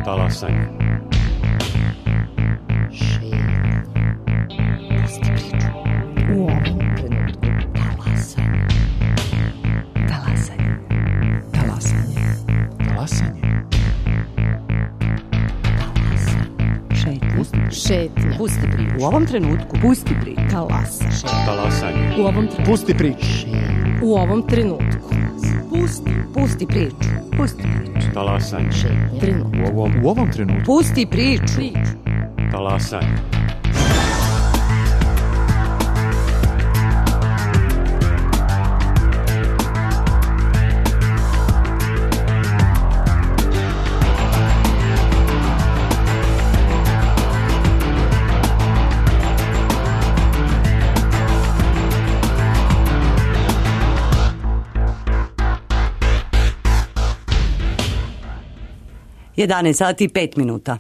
Talasanje. Pusti priču. U ovom trenutku talasanje. Talasanje. Talasanje. Talasanje. Šetnja. Pusti priču. U ovom trenutku pusti priču. Talasanje. U ovom trenutku. Pusti priču. U ovom trenutku. Pusti priču. Pusti priču. Talasanje. U ovom trenutku. Pusti priču. Talasanje. Jedanaest sati i 5 minuta.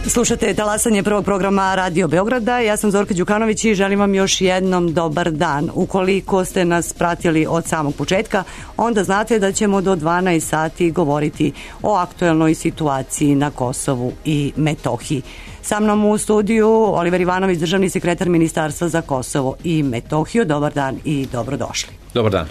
Slušate talasanje prvog programa Radio Beograda. Ja sam Zorka Đukanović i želim vam još jednom dobar dan. Ukoliko ste nas pratili od samog početka, onda znate da ćemo do 12 sati govoriti o aktuelnoj situaciji na Kosovu i Metohiji. Sa mnom u studiju Oliver Ivanović, državni sekretar Ministarstva za Kosovo i Metohiju. Dobar dan i dobrodošli. Dobar dan.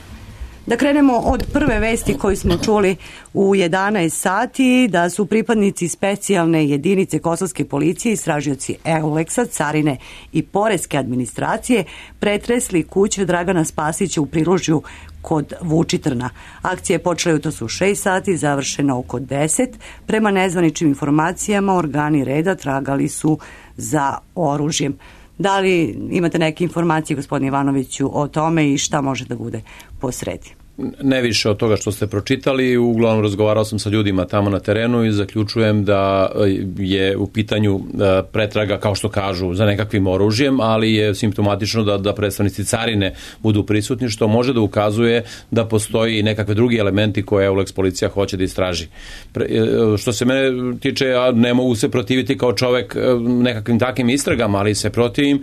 Da krenemo od prve vesti koju smo čuli u 11 sati, da su pripadnici specijalne jedinice kosovske policije, istražioci EULEX-a, carine i poreske administracije pretresli kuću Dragana Spasića u Prilužju kod Vučitrna. Akcija je počela jutros u 6 sati, završena oko 10. Prema nezvaničnim informacijama, organi reda tragali su za oružjem. Da li imate neke informacije, gospodine Ivanoviću, o tome i šta može da bude posredi? Ne više od toga što ste pročitali, uglavnom razgovarao sam sa ljudima tamo na terenu i zaključujem da je u pitanju pretraga, kao što kažu, za nekakvim oružjem, ali je simptomatično da predstavnici carine budu prisutni, što može da ukazuje da postoji nekakve drugi elementi koje EULEX policija hoće da istraži. Što se mene tiče, ja ne mogu se protiviti kao čovek nekakvim takvim istragama, ali se protivim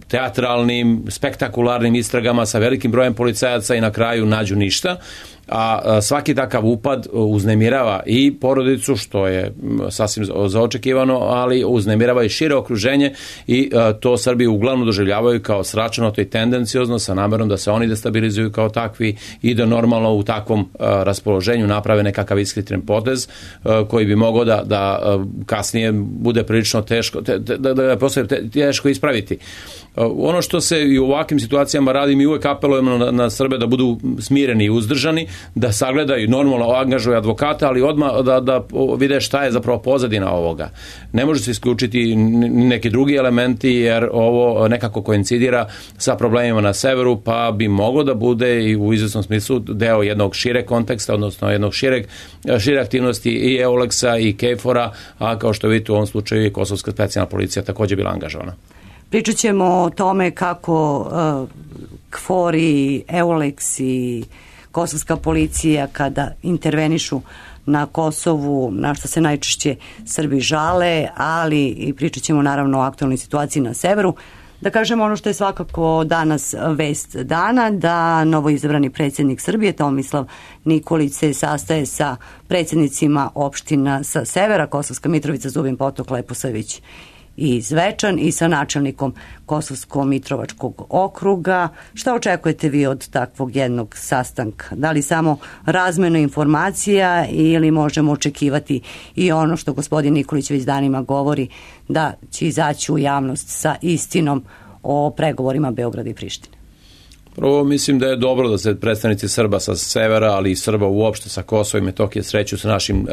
teatralnim, spektakularnim istragama sa velikim brojem policajaca i na kraju nađu ništa, a svaki takav upad uznemirava i porodicu, što je sasvim zaočekivano, ali uznemirava i šire okruženje i to Srbi uglavnom doživljavaju kao sračunato i tendenciozno sa namerom da se oni destabilizuju kao takvi i da normalno u takvom raspoloženju naprave nekakav ishitreni potez koji bi mogao da kasnije bude prilično teško, da postoje teško ispraviti. Ono što se i u ovakvim situacijama radi, mi uvek apelujemo na Srbe da budu smireni i uzdržani, da sagledaju, normalno angažuju advokata, ali odmah da vide šta je zapravo pozadina ovoga. Ne može se isključiti neki drugi elementi, jer ovo nekako koincidira sa problemima na severu, pa bi moglo da bude i u izvesnom smislu deo jednog šireg konteksta, odnosno jednog šire aktivnosti i EULEX-a i KFOR-a, a kao što vidite u ovom slučaju i Kosovska specijalna policija također bila angažovana. Pričat ćemo o tome kako KFOR i EULEX i Kosovska policija kada intervenišu na Kosovu, na što se najčešće Srbi žale, ali i pričat ćemo naravno o aktualnoj situaciji na severu. Da kažemo ono što je svakako danas vest dana, da novoizabrani predsjednik Srbije Tomislav Nikolić se sastaje sa predsjednicima opština sa severa, Kosovska Mitrovica, Zubin Potok, Leposavić i Zvečan, i sa načelnikom Kosovsko-Mitrovačkog okruga. Šta očekujete vi od takvog jednog sastanka? Da li samo razmenu informacija ili možemo očekivati i ono što gospodin Nikolić već danima govori, da će izaći u javnost sa istinom o pregovorima Beograda i Prištine? Prvo, mislim da je dobro da se predstavnici Srba sa severa, ali i Srba uopšte sa Kosova i Metohije sreću sa našim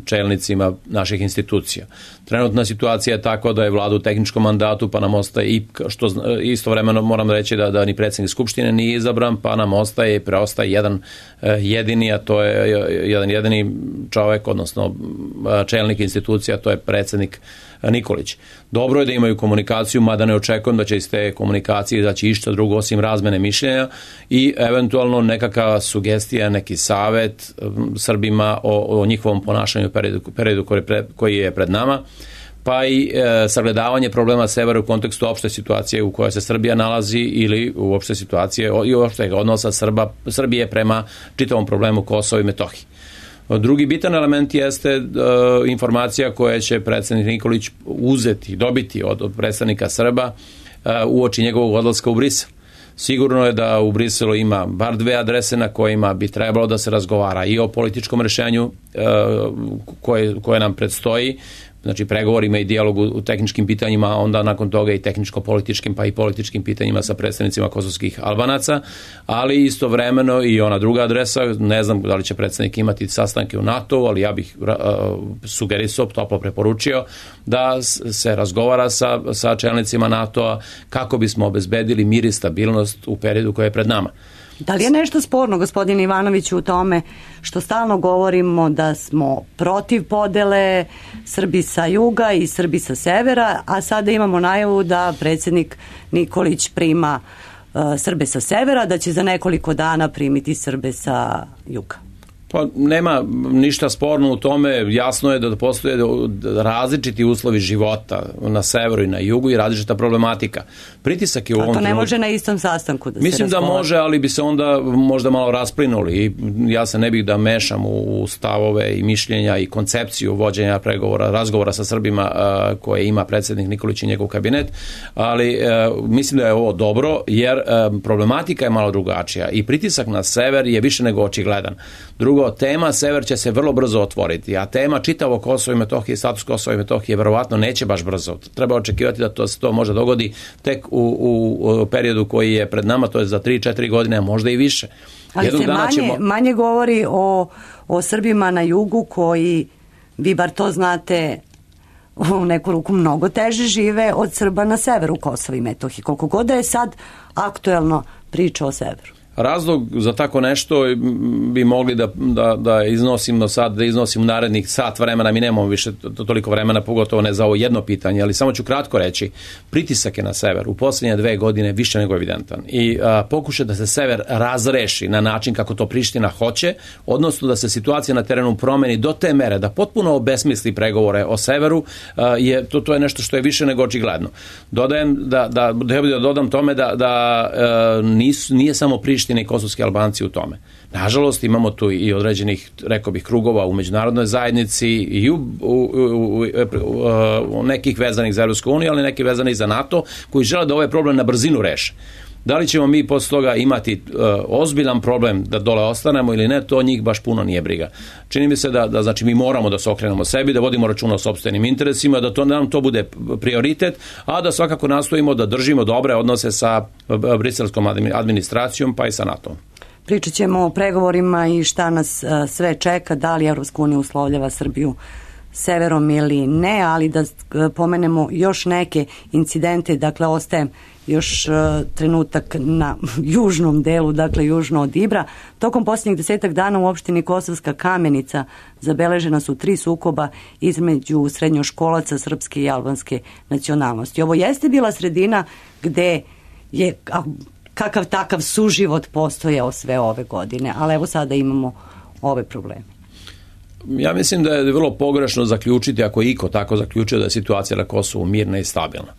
čelnicima naših institucija. Trenutna situacija je tako da je vlada u tehničkom mandatu, pa nam ostaje i što istovremeno moram reći da ni predsjednik Skupštine nije izabran, pa nam ostaje i preostaje jedan jedini, a to je jedan jedini čovjek, odnosno čelnik institucija, to je predsjednik Nikolić. Dobro je da imaju komunikaciju, mada ne očekujem da će iz te komunikacije izaći išta drugo osim razmene mišljenja i eventualno nekakva sugestija, neki savet Srbima o njihovom ponašanju u periodu koji je pred nama, pa i sagledavanje problema severa u kontekstu opšte situacije u kojoj se Srbija nalazi ili uopšte situacije i uopšte odnosa Srbije prema čitavom problemu Kosova i Metohije. Drugi bitan element jeste informacija koja će predsjednik Nikolić dobiti od predstavnika Srba uoči njegovog odlaska u Brisel. Sigurno je da u Briselu ima bar 2 adrese na kojima bi trebalo da se razgovara i o političkom rešenju koje nam predstoji, znači pregovorima i dijalogu u tehničkim pitanjima, a onda nakon toga i tehničko-političkim pa i političkim pitanjima sa predstavnicima kosovskih Albanaca, ali istovremeno i ona druga adresa, ne znam da li će predstavnik imati sastanke u NATO, ali ja bih sugerisao, toplo preporučio da se razgovara sa čelnicima NATO-a kako bismo obezbedili mir i stabilnost u periodu koji je pred nama. Da li je nešto sporno, gospodine Ivanoviću, u tome što stalno govorimo da smo protiv podele Srbi sa juga i Srbi sa severa, a sada imamo najavu da predsjednik Nikolić prima Srbe sa severa, da će za nekoliko dana primiti Srbe sa juga? Pa nema ništa sporno u tome, jasno je da postoje različiti uslovi života na severu i na jugu i različita problematika. Pritisak je u ovom trenutku... A to ne može na istom sastanku da se Mislim da može, ali bi se onda možda malo rasplinuli i ja se ne bih da mešam u stavove i mišljenja i koncepciju vođenja razgovora sa Srbima koje ima predsjednik Nikolić i njegov kabinet, ali mislim da je ovo dobro jer problematika je malo drugačija i pritisak na sever je više nego očigledan. Drugo, tema sever će se vrlo brzo otvoriti, a tema čitavo Kosovo i Metohije, status Kosova i Metohije verovatno neće baš brzo. Treba očekivati da to može dogodi tek u periodu koji je pred nama, to je za 3-4 godine, a možda i više. Ali se manje govori o Srbima na jugu koji, vi bar to znate, u neku ruku mnogo teže žive od Srba na severu Kosova i Metohije. Koliko god da je sad aktuelno priča o severu. Razlog za tako nešto bi mogli da iznosimo sad, da iznosim u narednih sat vremena, mi nemamo više toliko vremena, pogotovo ne za ovo jedno pitanje, ali samo ću kratko reći, pritisak je na sever u posljednje 2 godine više nego evidentan i pokušaj da se sever razreši na način kako to Priština hoće, odnosno da se situacija na terenu promeni do te mere da potpuno obesmisli pregovore o severu, to je nešto što je više nego očigledno. Dodam tome da nije samo Priština i kosovski Albanci u tome. Nažalost, imamo tu i određenih, rekao bih, krugova u međunarodnoj zajednici i u nekih vezanih za Evropsku uniju, ali neki vezanih za NATO, koji žele da ovaj problem na brzinu reše. Da li ćemo mi posle toga imati ozbiljan problem da dole ostanemo ili ne, to njih baš puno nije briga. Čini mi se da znači mi moramo da se okrenemo sebi, da vodimo računa o sopstvenim interesima, da nam to bude prioritet, a da svakako nastojimo da držimo dobre odnose sa briselskom administracijom pa i sa NATO. Pričat ćemo o pregovorima i šta nas sve čeka, da li Evropska unija uslovljava Srbiju severom ili ne, ali da pomenemo još neke incidente, dakle ostajem još trenutak na južnom delu, dakle južno od Ibra. Tokom posljednjih 10 dana u opštini Kosovska Kamenica zabeležena su 3 sukoba između srednjoškolaca srpske i albanske nacionalnosti. Ovo jeste bila sredina gde je kakav takav suživot postojao sve ove godine, ali evo sada imamo ove probleme. Ja mislim da je vrlo pogrešno zaključiti, ako je iko tako zaključio, da je situacija na Kosovu mirna i stabilna.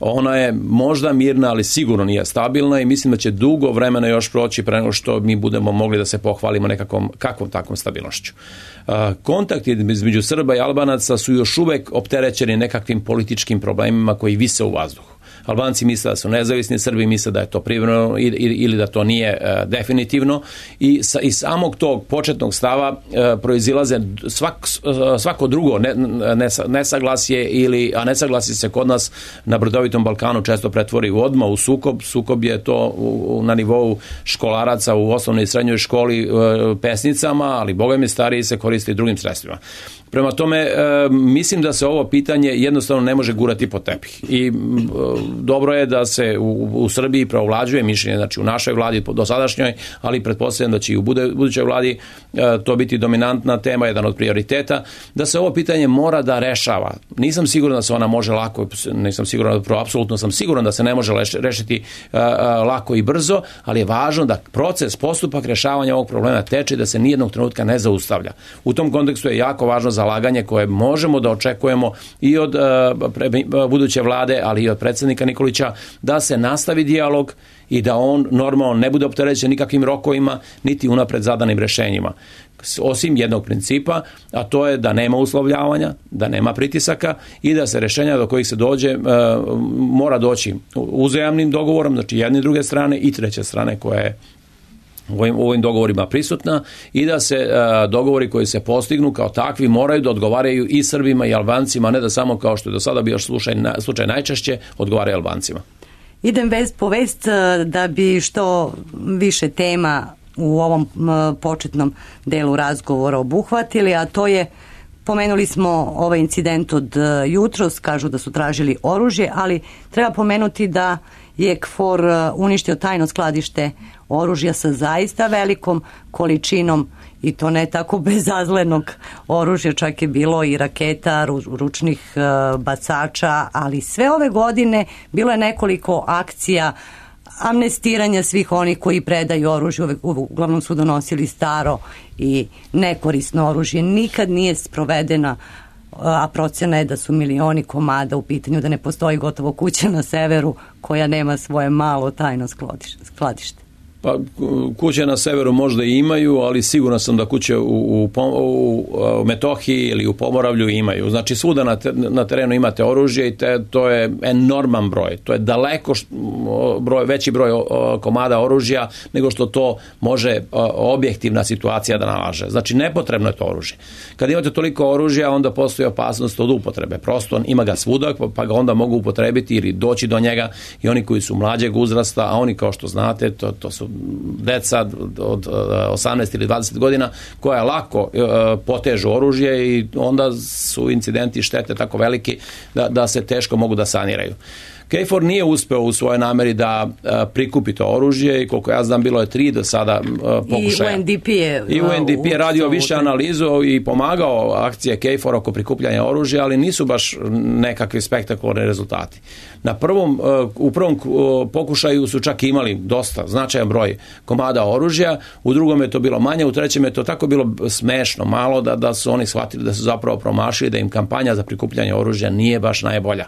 Ona je možda mirna, ali sigurno nije stabilna i mislim da će dugo vremena još proći pre nego što mi budemo mogli da se pohvalimo kakvom takvom stabilnošću. Kontakti između Srba i Albanaca su još uvek opterećeni nekakvim političkim problemima koji vise u vazduhu. Albanci misle da su nezavisni, Srbi misle da je to privremeno ili da to nije definitivno i iz samog tog početnog stava proizilaze svako drugo nesaglasje a nesaglasje se kod nas na brdovitom Balkanu često pretvori odmah u sukob. Sukob je to na nivou školaraca u osnovnoj i srednjoj školi pesnicama, ali bogami stariji se koriste i drugim sredstvima. Prema tome, mislim da se ovo pitanje jednostavno ne može gurati pod tepih i dobro je da se u Srbiji preovlađuje mišljenje, znači u našoj vladi dosadašnjoj, ali pretpostavljam da će i u budućoj vladi to biti dominantna tema, jedan od prioriteta, da se ovo pitanje mora da rešava. Nisam siguran da se ona može lako, nisam siguran, apsolutno sam siguran da se ne može rešiti lako i brzo, ali je važno da postupak rešavanja ovog problema teče, da se nijednog trenutka ne zaustavlja. U tom kontekstu je jako važno zalaganje koje možemo da očekujemo i od buduće vlade, ali i od predsjednika Nikolića, da se nastavi dijalog i da on normalno ne bude opterećen nikakvim rokovima, niti unapred zadanim rešenjima. Osim jednog principa, a to je da nema uslovljavanja, da nema pritisaka i da se rešenja do kojih se dođe mora doći uzajamnim dogovorom, znači jedne i druge strane i treće strane koja je u ovim dogovorima prisutna i da se dogovori koji se postignu kao takvi moraju da odgovaraju i Srbima i Albancima, ne da samo kao što je do sada bio slučaj najčešće odgovaraju Albancima. Idem vest po vest da bi što više tema u ovom početnom delu razgovora obuhvatili, a to je, pomenuli smo ovaj incident od jutros, kažu da su tražili oružje, ali treba pomenuti da je KFOR uništio tajno skladište oružja sa zaista velikom količinom i to ne tako bezazlenog oružja, čak je bilo i raketa, ručnih bacača, ali sve ove godine bilo je nekoliko akcija amnestiranja svih onih koji predaju oružje, uglavnom su donosili staro i nekorisno oružje. Nikad nije sprovedena, a procjena je da su milioni komada u pitanju, da ne postoji gotovo kuća na severu koja nema svoje malo tajno skladište. Pa kuće na severu možda i imaju, ali siguran sam da kuće u Metohiji ili u Pomoravlju imaju. Znači svuda na terenu imate oružje i to je enorman broj. To je daleko veći broj komada oružja nego što to može objektivna situacija da nalaže. Znači nepotrebno je to oružje. Kad imate toliko oružja, onda postoji opasnost od upotrebe. Prosto ima ga svuda, pa ga onda mogu upotrebiti ili doći do njega i oni koji su mlađeg uzrasta, a oni kao što znate, to su deca od 18 ili 20 godina koja lako potežu oružje i onda su incidenti i štete tako veliki da se teško mogu da saniraju. KFOR nije uspeo u svojoj nameri da prikupi to oružje i koliko ja znam bilo je 3 do sada pokušaja. I UNDP je radio više analizu i pomagao akcije KFOR oko prikupljanja oružja, ali nisu baš nekakvi spektakularni rezultati. U prvom pokušaju su čak imali dosta značajan broj komada oružja, u drugom je to bilo manje, u trećem je to tako bilo smešno malo da su oni shvatili da su zapravo promašili, da im kampanja za prikupljanje oružja nije baš najbolja.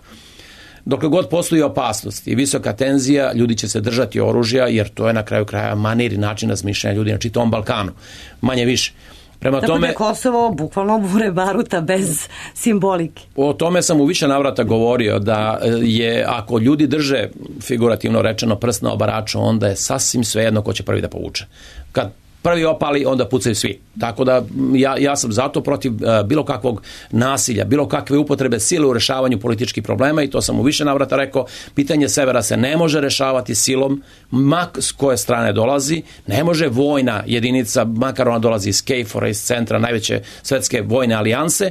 Dokle god postoji opasnost i visoka tenzija, ljudi će se držati oružja, jer to je na kraju kraja manir i način razmišljanja ljudi na čitavom Balkanu. Manje više. Prema tako tome, da Kosovo bukvalno bure baruta bez simbolike. O tome sam u više navrata govorio da je, ako ljudi drže figurativno rečeno prst na obaraču, onda je sasvim svejedno ko će prvi da povuče. Kad prvi opali, onda pucaju svi. Tako da ja sam zato protiv bilo kakvog nasilja, bilo kakve upotrebe sile u rešavanju političkih problema i to sam u više navrata rekao. Pitanje severa se ne može rešavati silom, s koje strane dolazi, ne može vojna jedinica, makar ona dolazi iz KFOR-a, iz centra najveće svetske vojne alijanse,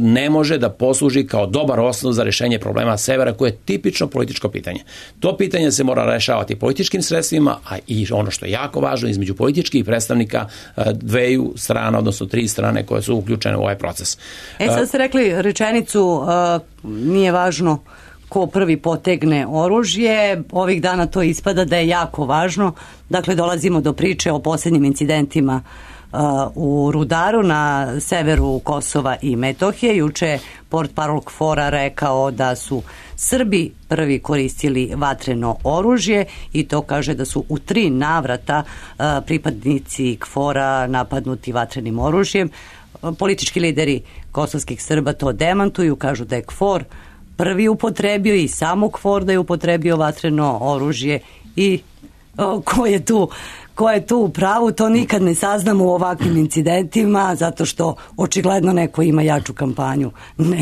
ne može da posluži kao dobar osnov za rešenje problema severa, koje je tipično političko pitanje. To pitanje se mora rešavati političkim sredstvima, a i ono što je jako važno, između političkih predstavnika dveju strana, odnosno 3 strane koje su uključene u ovaj proces. Sad ste rekli rečenicu, nije važno ko prvi potegne oružje, ovih dana to ispada da je jako važno. Dakle, dolazimo do priče o posljednjim incidentima u Rudaru na severu Kosova i Metohije. Juče portparol KFOR-a rekao da su Srbi prvi koristili vatreno oružje i to kaže da su u 3 navrata pripadnici KFOR-a napadnuti vatrenim oružjem. Politički lideri kosovskih Srba to demantuju, kažu da je KFOR prvi upotrebio i samo KFOR da je upotrebio vatreno oružje i ko je tu u pravu, to nikad ne saznamo u ovakvim incidentima, zato što očigledno neko ima jaču kampanju. Ne.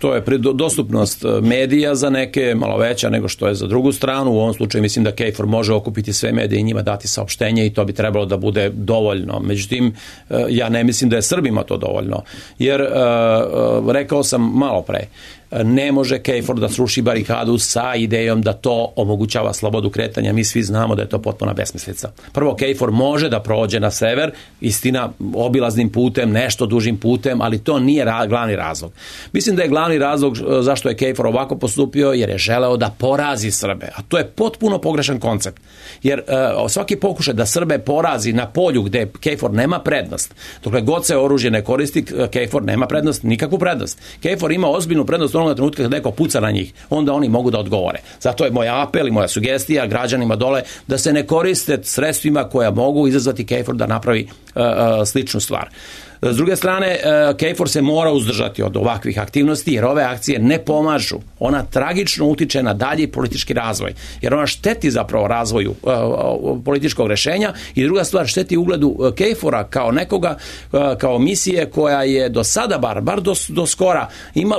To je dostupnost medija za neke malo veća nego što je za drugu stranu. U ovom slučaju mislim da KFOR može okupiti sve medije i njima dati saopštenje i to bi trebalo da bude dovoljno. Međutim, ja ne mislim da je Srbima to dovoljno. Jer, rekao sam malo pre, ne može KFOR da sruši barikadu sa idejom da to omogućava slobodu kretanja. Mi svi znamo da je to potpuna besmislica. Prvo, KFOR može da prođe na sever, istina, obilaznim putem, nešto dužim putem, ali to nije glavni razlog. Mislim da je glavni razlog zašto je KFOR ovako postupio, jer je želeo da porazi Srbe, a to je potpuno pogrešan koncept. Jer svaki pokušaj da Srbe porazi na polju gde KFOR nema prednost, dokle god se oružje ne koristi, KFOR nema prednost, nikakvu prednost. KFOR ima ozbiljnu prednost onoga trenutka kad neko puca na njih, onda oni mogu da odgovore. Zato je moj apel i moja sugestija građanima dole da se ne koriste sredstvima koja mogu izazvati KFOR da napravi sličnu stvar. S druge strane, KFOR se mora uzdržati od ovakvih aktivnosti, jer ove akcije ne pomažu. Ona tragično utiče na dalji politički razvoj, jer ona šteti zapravo razvoju političkog rešenja i druga stvar, šteti ugledu KFOR-a kao nekoga, kao misije koja je do sada, bar do skora,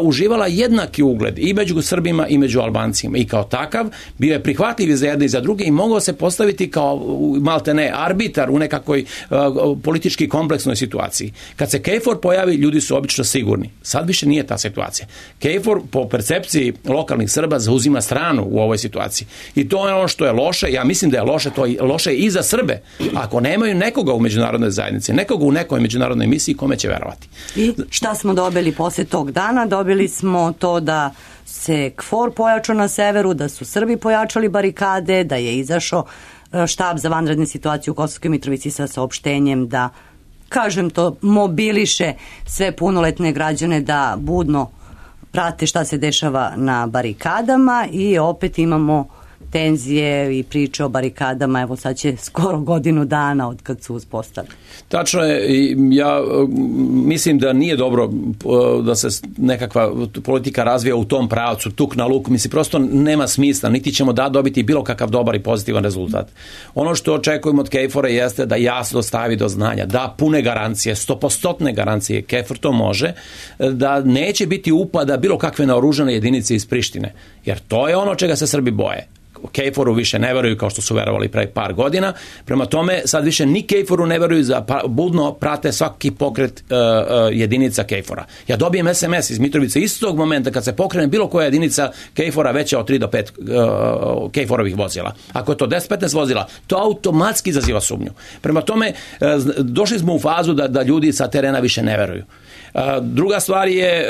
uživala jednaki ugled i među Srbima i među Albancima i kao takav bio je prihvatljiv za jedne i za druge i mogao se postaviti kao maltene arbitar u nekakvoj politički kompleksnoj situaciji. Kad se KFOR pojavi, ljudi su obično sigurni. Sad više nije ta situacija. KFOR po percepciji lokalnih Srba zauzima stranu u ovoj situaciji. I to je ono što je loše. Ja mislim da je loše, to je loše i za Srbe. Ako nemaju nekoga u međunarodnoj zajednici, nekoga u nekoj međunarodnoj misiji, kome će verovati? I šta smo dobili posle tog dana? Dobili smo to da se KFOR pojačao na severu, da su Srbi pojačali barikade, da je izašao štab za vanredne situacije u Kosovskoj Mitrovici sa saopštenjem da, kažem to, mobiliše sve punoletne građane da budno prate šta se dešava na barikadama i opet imamo tenzije i priče o barikadama, evo sad će skoro godinu dana od kad su uspostavili. Tačno je, ja mislim da nije dobro da se nekakva politika razvija u tom pravcu, tuk na luk, mislim prosto nema smisla, niti ćemo da dobiti bilo kakav dobar i pozitivan rezultat. Ono što očekujemo od KFOR-a jeste da jasno stavi do znanja, da pune garancije, 100% garancije, KFOR to može, da neće biti upada bilo kakve naoružane jedinice iz Prištine, jer to je ono čega se Srbi boje. KFOR-u više ne veruju kao što su verovali pre par godina, prema tome sad više ni KFOR-u ne veruju, budno prate svaki pokret jedinica KFOR-a. Ja dobijem SMS iz Mitrovice istog momenta kad se pokrene bilo koja jedinica KFOR-a veća od 3 do 5 KFOR-ovih vozila. Ako je to 10-15 vozila, to automatski izaziva sumnju. Prema tome, došli smo u fazu da ljudi sa terena više ne veruju. Druga stvar je,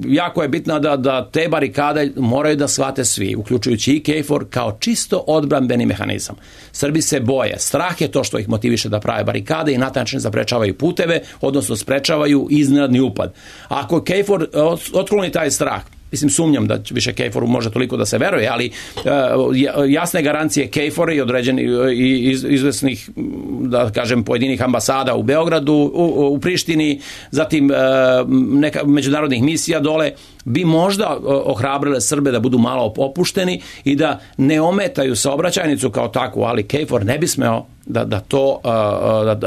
jako je bitna da te barikade moraju da shvate svi, uključujući i KFOR, kao čisto odbrambeni mehanizam. Srbi se boje, strah je to što ih motiviše da prave barikade i na taj način zaprečavaju puteve, odnosno sprečavaju iznenadni upad. Ako KFOR otkloni taj strah, mislim, sumnjam da više KFOR-u može toliko da se veruje, ali jasne garancije KFOR-a i određeni izvesnih, da kažem, pojedinih ambasada u Beogradu, u Prištini, zatim međunarodnih misija dole, bi možda ohrabrile Srbe da budu malo opušteni i da ne ometaju saobraćajnicu kao takvu, ali KFOR ne bi smeo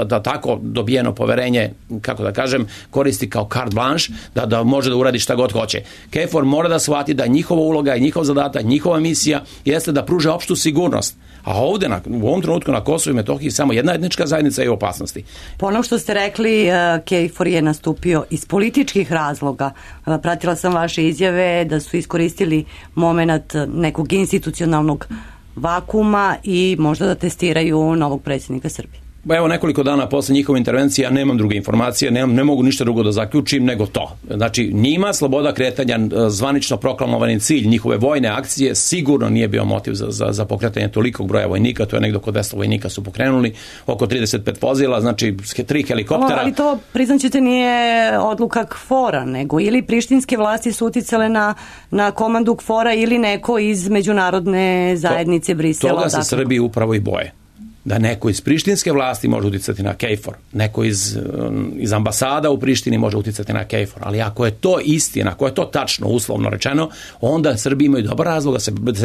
da tako dobijeno poverenje, kako da kažem, koristi kao carte blanche, da može da uradi šta god hoće. KFOR mora da shvati da njihova uloga i njihov zadatak, njihova misija jeste da pruže opštu sigurnost. A ovde, u ovom trenutku na Kosovu i Metohiji samo jedna etnička zajednica je u opasnosti. Po onom što ste rekli, KFOR je nastupio iz političkih razloga. Pratila sam vaše izjave da su iskoristili moment nekog institucionalnog vakuma i možda da testiraju novog predsjednika Srbije. Evo, nekoliko dana posle njihove intervencije, ja nemam druge informacije, ne mogu ništa drugo da zaključim nego to. Znači, njima sloboda kretanja, zvanično proklamovani cilj njihove vojne akcije, sigurno nije bio motiv za pokretanje tolikog broja vojnika, to je negdje oko 200 vojnika su pokrenuli, oko 35 vozila, znači 3 helikoptera. Ali to, priznaćete, nije odluka KFOR-a, nego ili prištinske vlasti su uticale na komandu KFOR-a ili neko iz međunarodne zajednice Brisela. Toga se Srbiji upravo i boje. Da neko iz prištinske vlasti može uticati na KFOR, neko iz ambasada u Prištini može uticati na KFOR, ali ako je to istina, ako je to tačno, uslovno rečeno, onda Srbi imaju dobar razlog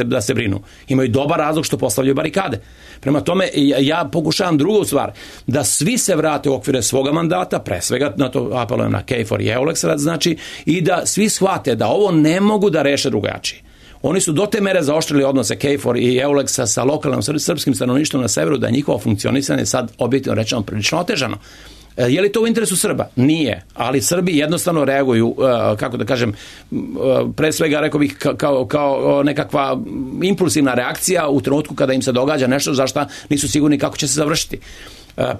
da se brinu. Imaju dobar razlog što postavljaju barikade. Prema tome, ja pokušavam drugu stvar, da svi se vrate u okvire svoga mandata, pre svega na to apelujem na KFOR i EULEX, znači, i da svi shvate da ovo ne mogu da reše drugačije. Oni su do te mere zaoštrili odnose KFOR i EULEX-a sa lokalnim srpskim stanovništvom na severu da je njihovo funkcionisanje sad objektivno rečeno prilično otežano. Je li to u interesu Srba? Nije, ali Srbi jednostavno reaguju, kako da kažem, pre svega rekao bih kao nekakva impulsivna reakcija u trenutku kada im se događa nešto za šta nisu sigurni kako će se završiti.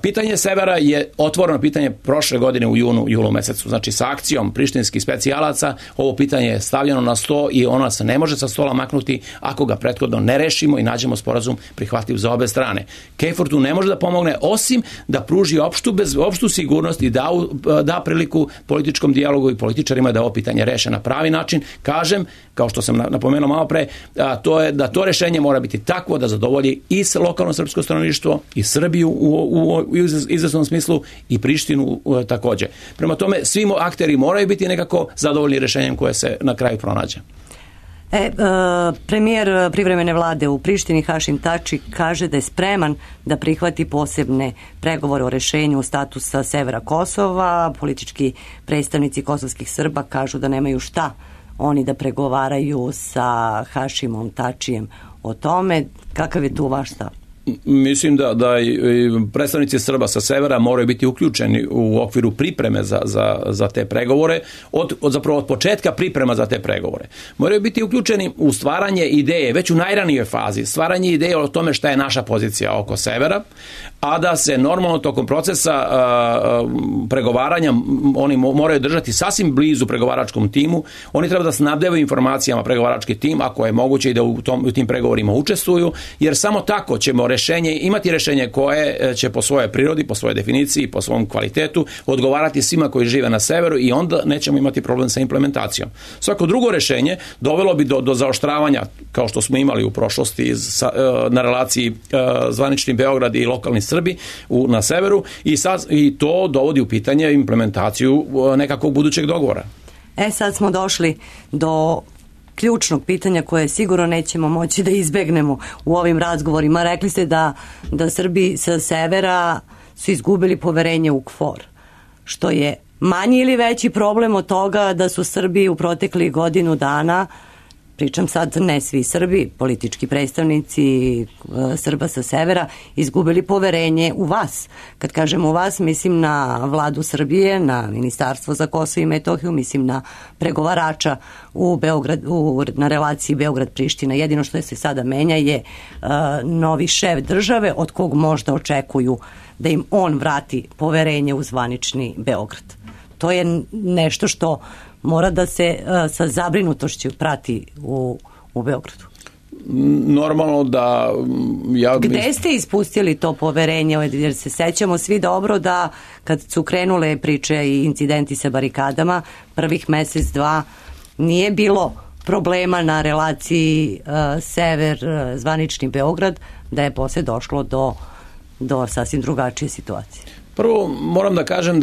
Pitanje severa je otvoreno pitanje prošle godine u julu mesecu. Znači sa akcijom prištinskih specijalaca ovo pitanje je stavljeno na sto i ona se ne može sa stola maknuti ako ga prethodno ne rešimo i nađemo sporazum prihvatljiv za obe strane. KFOR tu ne može da pomogne osim da pruži opštu sigurnost i da priliku političkom dijalogu i političarima da ovo pitanje reše na pravi način. Kažem, kao što sam napomenuo malo pre, to je da to rešenje mora biti takvo da zadovolji i lokalno srpsko stanovništvo i Srbiju u izvesnom smislu i Prištinu takođe. Prema tome, svi akteri moraju biti nekako zadovoljni rešenjem koje se na kraju pronađe. Premijer privremene vlade u Prištini Hašim Tači kaže da je spreman da prihvati posebne pregovore o rešenju statusa severa Kosova. Politički predstavnici kosovskih Srba kažu da nemaju šta oni da pregovaraju sa Hašimom Tačijem o tome. Kakav je tu vaš stav? Mislim da predstavnici Srba sa severa moraju biti uključeni u okviru pripreme za te pregovore, zapravo od početka priprema za te pregovore. Moraju biti uključeni u stvaranje ideje, već u najranijoj fazi, stvaranje ideje o tome šta je naša pozicija oko severa, a da se normalno tokom procesa pregovaranja oni moraju držati sasvim blizu pregovaračkom timu, oni treba da snabdevaju informacijama pregovarački tim, ako je moguće i da u tim pregovorima učestvuju, jer samo tako ćemo imati rešenje koje će po svojoj prirodi, po svojoj definiciji, po svom kvalitetu odgovarati svima koji žive na severu i onda nećemo imati problem sa implementacijom. Svako drugo rešenje dovelo bi do zaoštravanja, kao što smo imali u prošlosti na relaciji zvanični Beograd i lokalni Srbi na severu i to dovodi u pitanje implementaciju nekakvog budućeg dogovora. Sad smo došli do ključnog pitanja koje sigurno nećemo moći da izbegnemo u ovim razgovorima. Rekli ste da Srbi sa severa su izgubili poverenje u KFOR, što je manji ili veći problem od toga da su Srbi u proteklih godinu dana, pričam sad ne svi Srbi, politički predstavnici Srba sa severa, izgubili poverenje u vas. Kad kažem u vas, mislim na vladu Srbije, na Ministarstvo za Kosovo i Metohiju, mislim na pregovarača na relaciji Beograd-Priština. Jedino što se sada menja je novi šef države od kog možda očekuju da im on vrati poverenje u zvanični Beograd. To je nešto što mora da se sa zabrinutošću prati u Beogradu. Normalno da... Gde ste ispustili to poverenje? Jer se sećamo svi dobro da kad su krenule priče i incidenti sa barikadama, prvih mesec, dva, nije bilo problema na relaciji sever-zvanični Beograd, da je posle došlo do sasvim drugačije situacije. Prvo, moram da kažem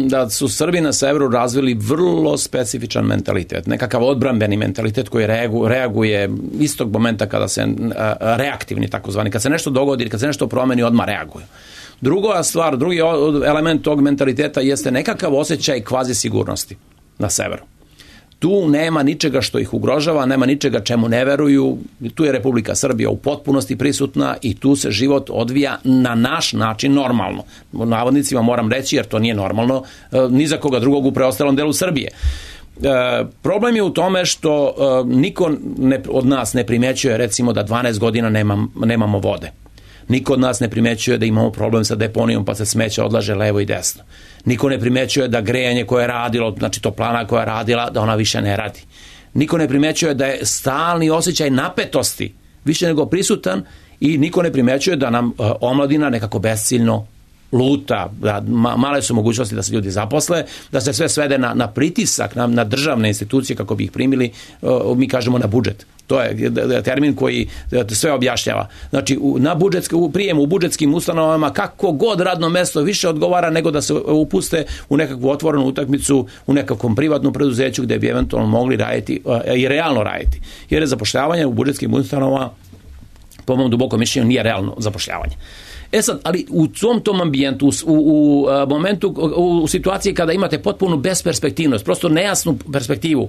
da su Srbi na severu razvili vrlo specifičan mentalitet, nekakav odbrambeni mentalitet koji reaguje istog momenta kada se reaktivni takozvani, kad se nešto dogodi, kad se nešto promeni, odmah reaguju. Druga stvar, drugi element tog mentaliteta jeste nekakav osjećaj kvazi sigurnosti na severu. Tu nema ničega što ih ugrožava, nema ničega čemu ne veruju, tu je Republika Srbija u potpunosti prisutna i tu se život odvija na naš način normalno. U navodnicima moram reći, jer to nije normalno ni za koga drugog u preostalom delu Srbije. Problem je u tome što niko od nas ne primećuje recimo da 12 godina nemamo vode. Niko od nas ne primećuje da imamo problem sa deponijom pa se smeće odlaže levo i desno. Niko ne primećuje da grejanje koje je radilo, znači toplana koja je radila, da ona više ne radi. Niko ne primećuje da je stalni osjećaj napetosti više nego prisutan i niko ne primećuje da nam omladina nekako besciljno luta, da male su mogućnosti da se ljudi zaposle, da se sve svede na pritisak, na državne institucije kako bi ih primili, mi kažemo na budžet. To je termin koji sve objašnjava. Znači, prijem u budžetskim ustanovama kako god radno mesto više odgovara nego da se upuste u nekakvu otvorenu utakmicu u nekakvom privatnom preduzeću gde bi eventualno mogli raditi i realno raditi. Jer je zapošljavanje u budžetskim ustanovama, po mom dubokom mišljenju, nije realno zapošljavanje. sad, ali u tom ambijentu, u momentu, u situaciji kada imate potpunu besperspektivnost, prosto nejasnu perspektivu,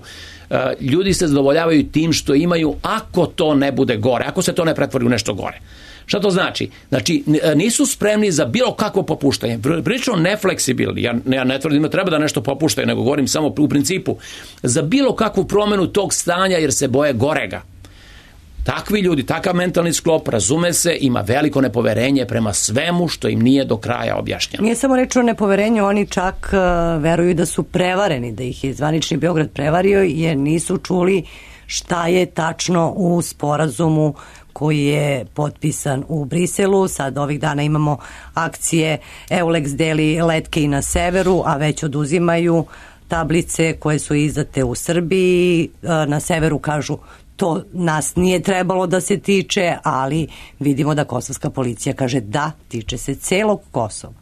ljudi se zadovoljavaju tim što imaju, ako to ne bude gore, ako se to ne pretvori u nešto gore. Šta to znači? Znači, nisu spremni za bilo kakvo popuštanje. Prilično nefleksibilni. Ja ne tvrdim da treba da nešto popuštaju, nego govorim samo u principu. Za bilo kakvu promenu tog stanja, jer se boje gorega. Takvi ljudi, takav mentalni sklop, razume se, ima veliko nepoverenje prema svemu što im nije do kraja objašnjeno. Nije samo reč o nepoverenju, oni čak veruju da su prevareni, da ih je zvanični Beograd prevario, jer nisu čuli šta je tačno u sporazumu koji je potpisan u Briselu. Sad ovih dana imamo akcije Eulex deli letke i na severu, a već oduzimaju tablice koje su izdate u Srbiji. Na severu kažu to nas nije trebalo da se tiče, ali vidimo da kosovska policija kaže da, tiče se celog Kosova.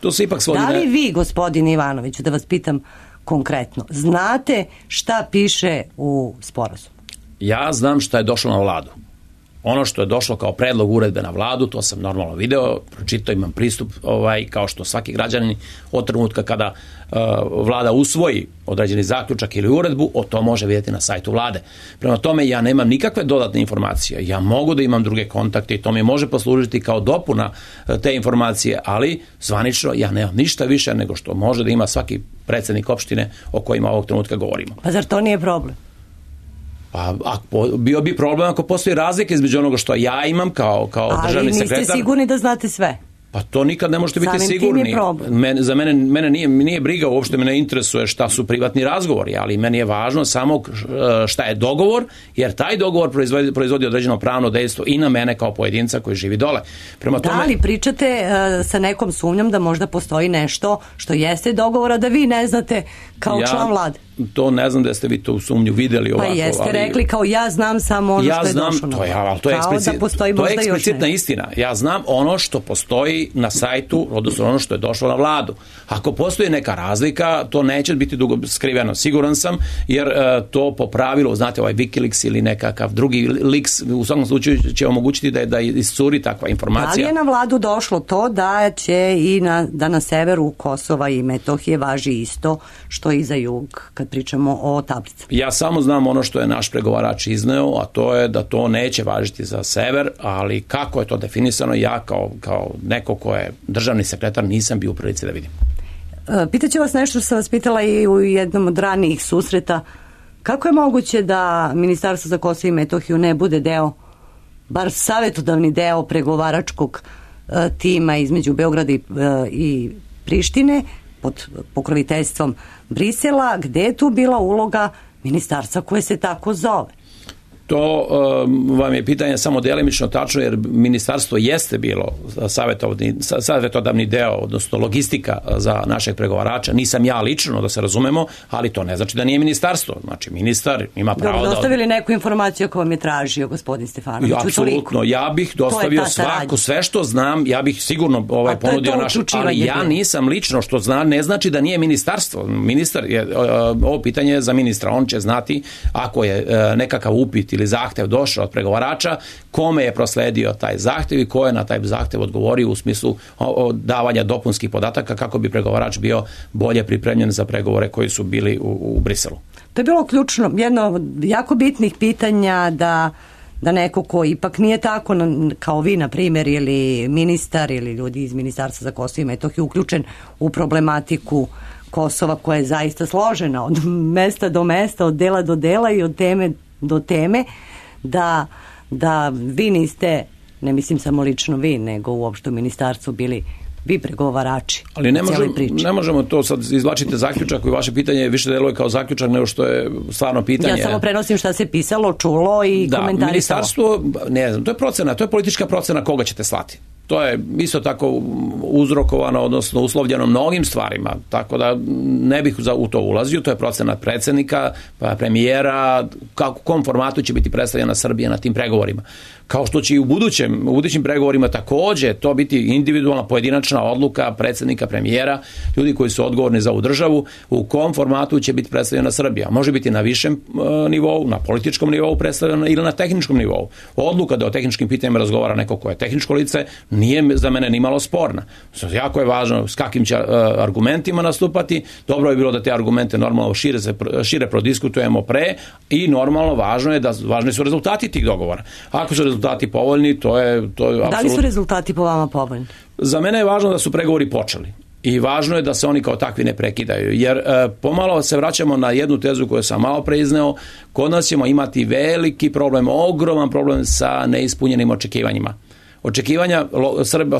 To se ipak svodi. Da li vi, gospodine Ivanoviću, da vas pitam konkretno, znate šta piše u sporazumu? Ja znam šta je došlo na vladu. Ono što je došlo kao predlog uredbe na vladu, to sam normalno video, pročitao, imam pristup, kao što svaki građanin od trenutka kada vlada usvoji određeni zaključak ili uredbu, o to može vidjeti na sajtu vlade. Prema tome, ja nemam nikakve dodatne informacije. Ja mogu da imam druge kontakte i to mi može poslužiti kao dopuna te informacije, ali zvanično ja nemam ništa više nego što može da ima svaki predsjednik opštine o kojima ovog trenutka govorimo. Pa zar to nije problem? Pa bio bi problem ako postoji razlika između onoga što ja imam kao državni sekretar. Ali niste sigurni da znate sve? Pa to nikad ne možete biti sigurni. Za mene nije briga, uopšte me ne interesuje šta su privatni razgovori, ali meni je važno samo šta je dogovor, jer taj dogovor proizvodi određeno pravno dejstvo i na mene kao pojedinca koji živi dole. Prema tome, da li pričate sa nekom sumnjom da možda postoji nešto što jeste dogovora da vi ne znate kao član vlade? To ne znam da ste vi tu sumnju videli ovako. Pa jeste rekli kao ja znam samo ono što je došlo na vladu. To je eksplicitna istina. Ja znam ono što postoji na sajtu, odnosno ono što je došlo na vladu. Ako postoji neka razlika, to neće biti dugo skriveno. Siguran sam, jer to po pravilu, znate, ovaj Wikileaks ili nekakav drugi leaks, u svakom slučaju će omogućiti da iscuri takva informacija. Da li je na vladu došlo to da će da na severu Kosova i Metohije važi isto što i za jug, kad pričamo o tablicama? Ja samo znam ono što je naš pregovarač izneo, a to je da to neće važiti za sever, ali kako je to definisano, ja kao neko ko je državni sekretar nisam bio u prilici da vidim. Pitaću vas nešto što sam vas pitala i u jednom od ranijih susreta. Kako je moguće da Ministarstvo za Kosovo i Metohiju ne bude deo, bar savjetodavni deo pregovaračkog tima između Beograda i Prištine pod pokroviteljstvom Brisela, gde je tu bila uloga ministarstva koje se tako zove? To vam je pitanje samo delimično tačno, jer ministarstvo jeste bilo savjetodavni deo, odnosno logistika za našeg pregovarača. Nisam ja lično, da se razumemo, ali to ne znači da nije ministarstvo. Znači, ministar ima pravo da... Dostavili neku informaciju ako vam je tražio gospodin Stefanović? Apsolutno, ja bih dostavio sve što znam, ja bih sigurno ponudio naš... Ali ja nisam lično, što zna, ne znači da nije ministarstvo. Ministar je, ovo pitanje je za ministra, on će znati ako je nekakav upit ili zahtev došao od pregovarača, kome je prosledio taj zahtev i ko je na taj zahtev odgovorio u smislu davanja dopunskih podataka kako bi pregovarač bio bolje pripremljen za pregovore koji su bili u Briselu. To je bilo ključno, jedno od jako bitnih pitanja da neko ko ipak nije tako kao vi, na primjer, ili ministar ili ljudi iz Ministarstva za Kosovo i Metohiju uključen u problematiku Kosova koja je zaista složena od mesta do mesta, od dela do dela i od teme do teme, da vi niste, ne mislim samo lično vi, nego uopšte u ministarstvu bili vi pregovarači. Ali ne možemo to sad izvlačiti zaključak, i vaše pitanje više deluje kao zaključak nego što je stvarno pitanje. Ja samo prenosim šta se pisalo, čulo i komentarisalo. Da, ministarstvo, ne znam, to je procena, to je politička procena koga ćete slati. To je isto tako uzrokovano, odnosno uslovljeno mnogim stvarima, tako da ne bih u to ulazio. To je procena predsjednika, premijera, u kom formatu će biti predstavljena Srbija na tim pregovorima. Kao što će i u budućim pregovorima također to biti individualna, pojedinačna odluka predsjednika, premijera, ljudi koji su odgovorni za ovu državu, u kom formatu će biti predstavljena Srbija. Može biti na višem nivou, na političkom nivou predstavljena ili na tehničkom nivou. Odluka da o tehničkim pitanjima razgovara neko ko je tehničko lice nije za mene ni malo sporna. Jako je važno s kakvim će argumentima nastupati. Dobro je bilo da te argumente normalno šire prodiskutujemo pre i normalno važni su rezultati tih dogovora. Ako su rezultati povoljni, to je apsolutno... Da li su rezultati po vama povoljni? Za mene je važno da su pregovori počeli. I važno je da se oni kao takvi ne prekidaju, jer pomalo se vraćamo na jednu tezu koju sam malo pre izneo. Kod nas ćemo imati veliki problem, ogroman problem sa neispunjenim očekivanjima. Očekivanja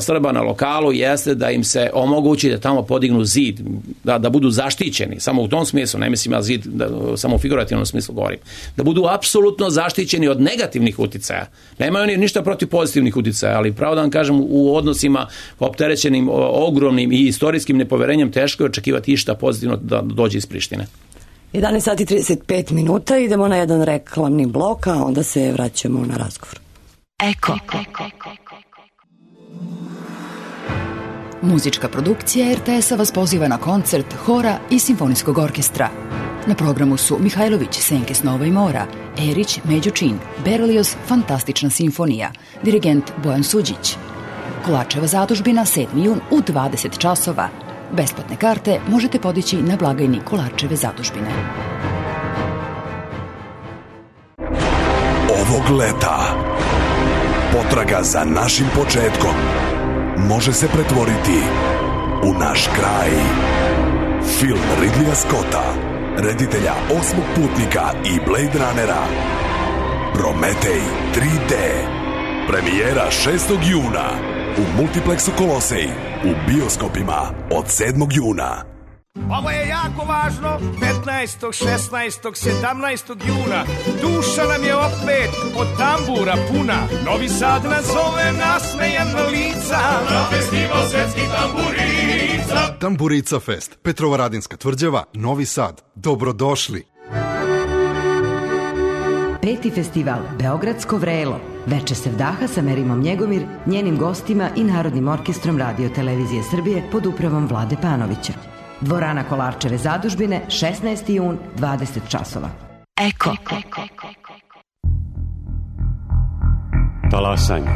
Srba na lokalu jeste da im se omogući da tamo podignu zid, da budu zaštićeni, samo u tom smislu, ne mislim ja zid, samo u figurativnom smislu govorim, da budu apsolutno zaštićeni od negativnih uticaja. Nemaju oni ništa protiv pozitivnih uticaja, ali pravo da vam kažem, u odnosima opterećenim ogromnim i istorijskim nepoverenjem teško je očekivati išta pozitivno da dođe iz Prištine. 11 sati 35 minuta, idemo na jedan reklamni blok, a onda se vraćamo na razgovor. Eko. Muzička produkcija RTS-a vas poziva na koncert hora i simfonijskog orkestra. Na programu su Mihajlović, Senke snova i mora, Erić, Međo Čin, Berlioz, Fantastična simfonija, dirigent Bojan Suđić. Kolačeva zadužbina 7. jun u 20 časova. Besplatne karte možete podići na blagajni Kolačeve zadužbine. Ovog leta potraga za našim početkom može se pretvoriti u naš kraj. Film Ridleya Scotta, reditelja Osmog putnika i Blade Runnera, Prometej 3D. Premijera 6. juna u Multiplexu Kolosej, u bioskopima od 7. juna. Ovo je jako važno, 15., 16., 17. juna. Duša nam je opet od tambura puna. Novi Sad nas zove nasmejana lica. Na festival svetskih tamburica. Tamburica Fest, Petrovaradinska tvrđava, Novi Sad. Dobrodošli. 5. festival Beogradsko vrelo. Veče sevdaha sa Merimom Njegomir, njenim gostima i Narodnim orkestrom Radio Televizije Srbije pod upravom Vlade Panovića. Dvorana Kolarčeve zadužbine, 16. jun, 20 časova. Eko. Talasanje.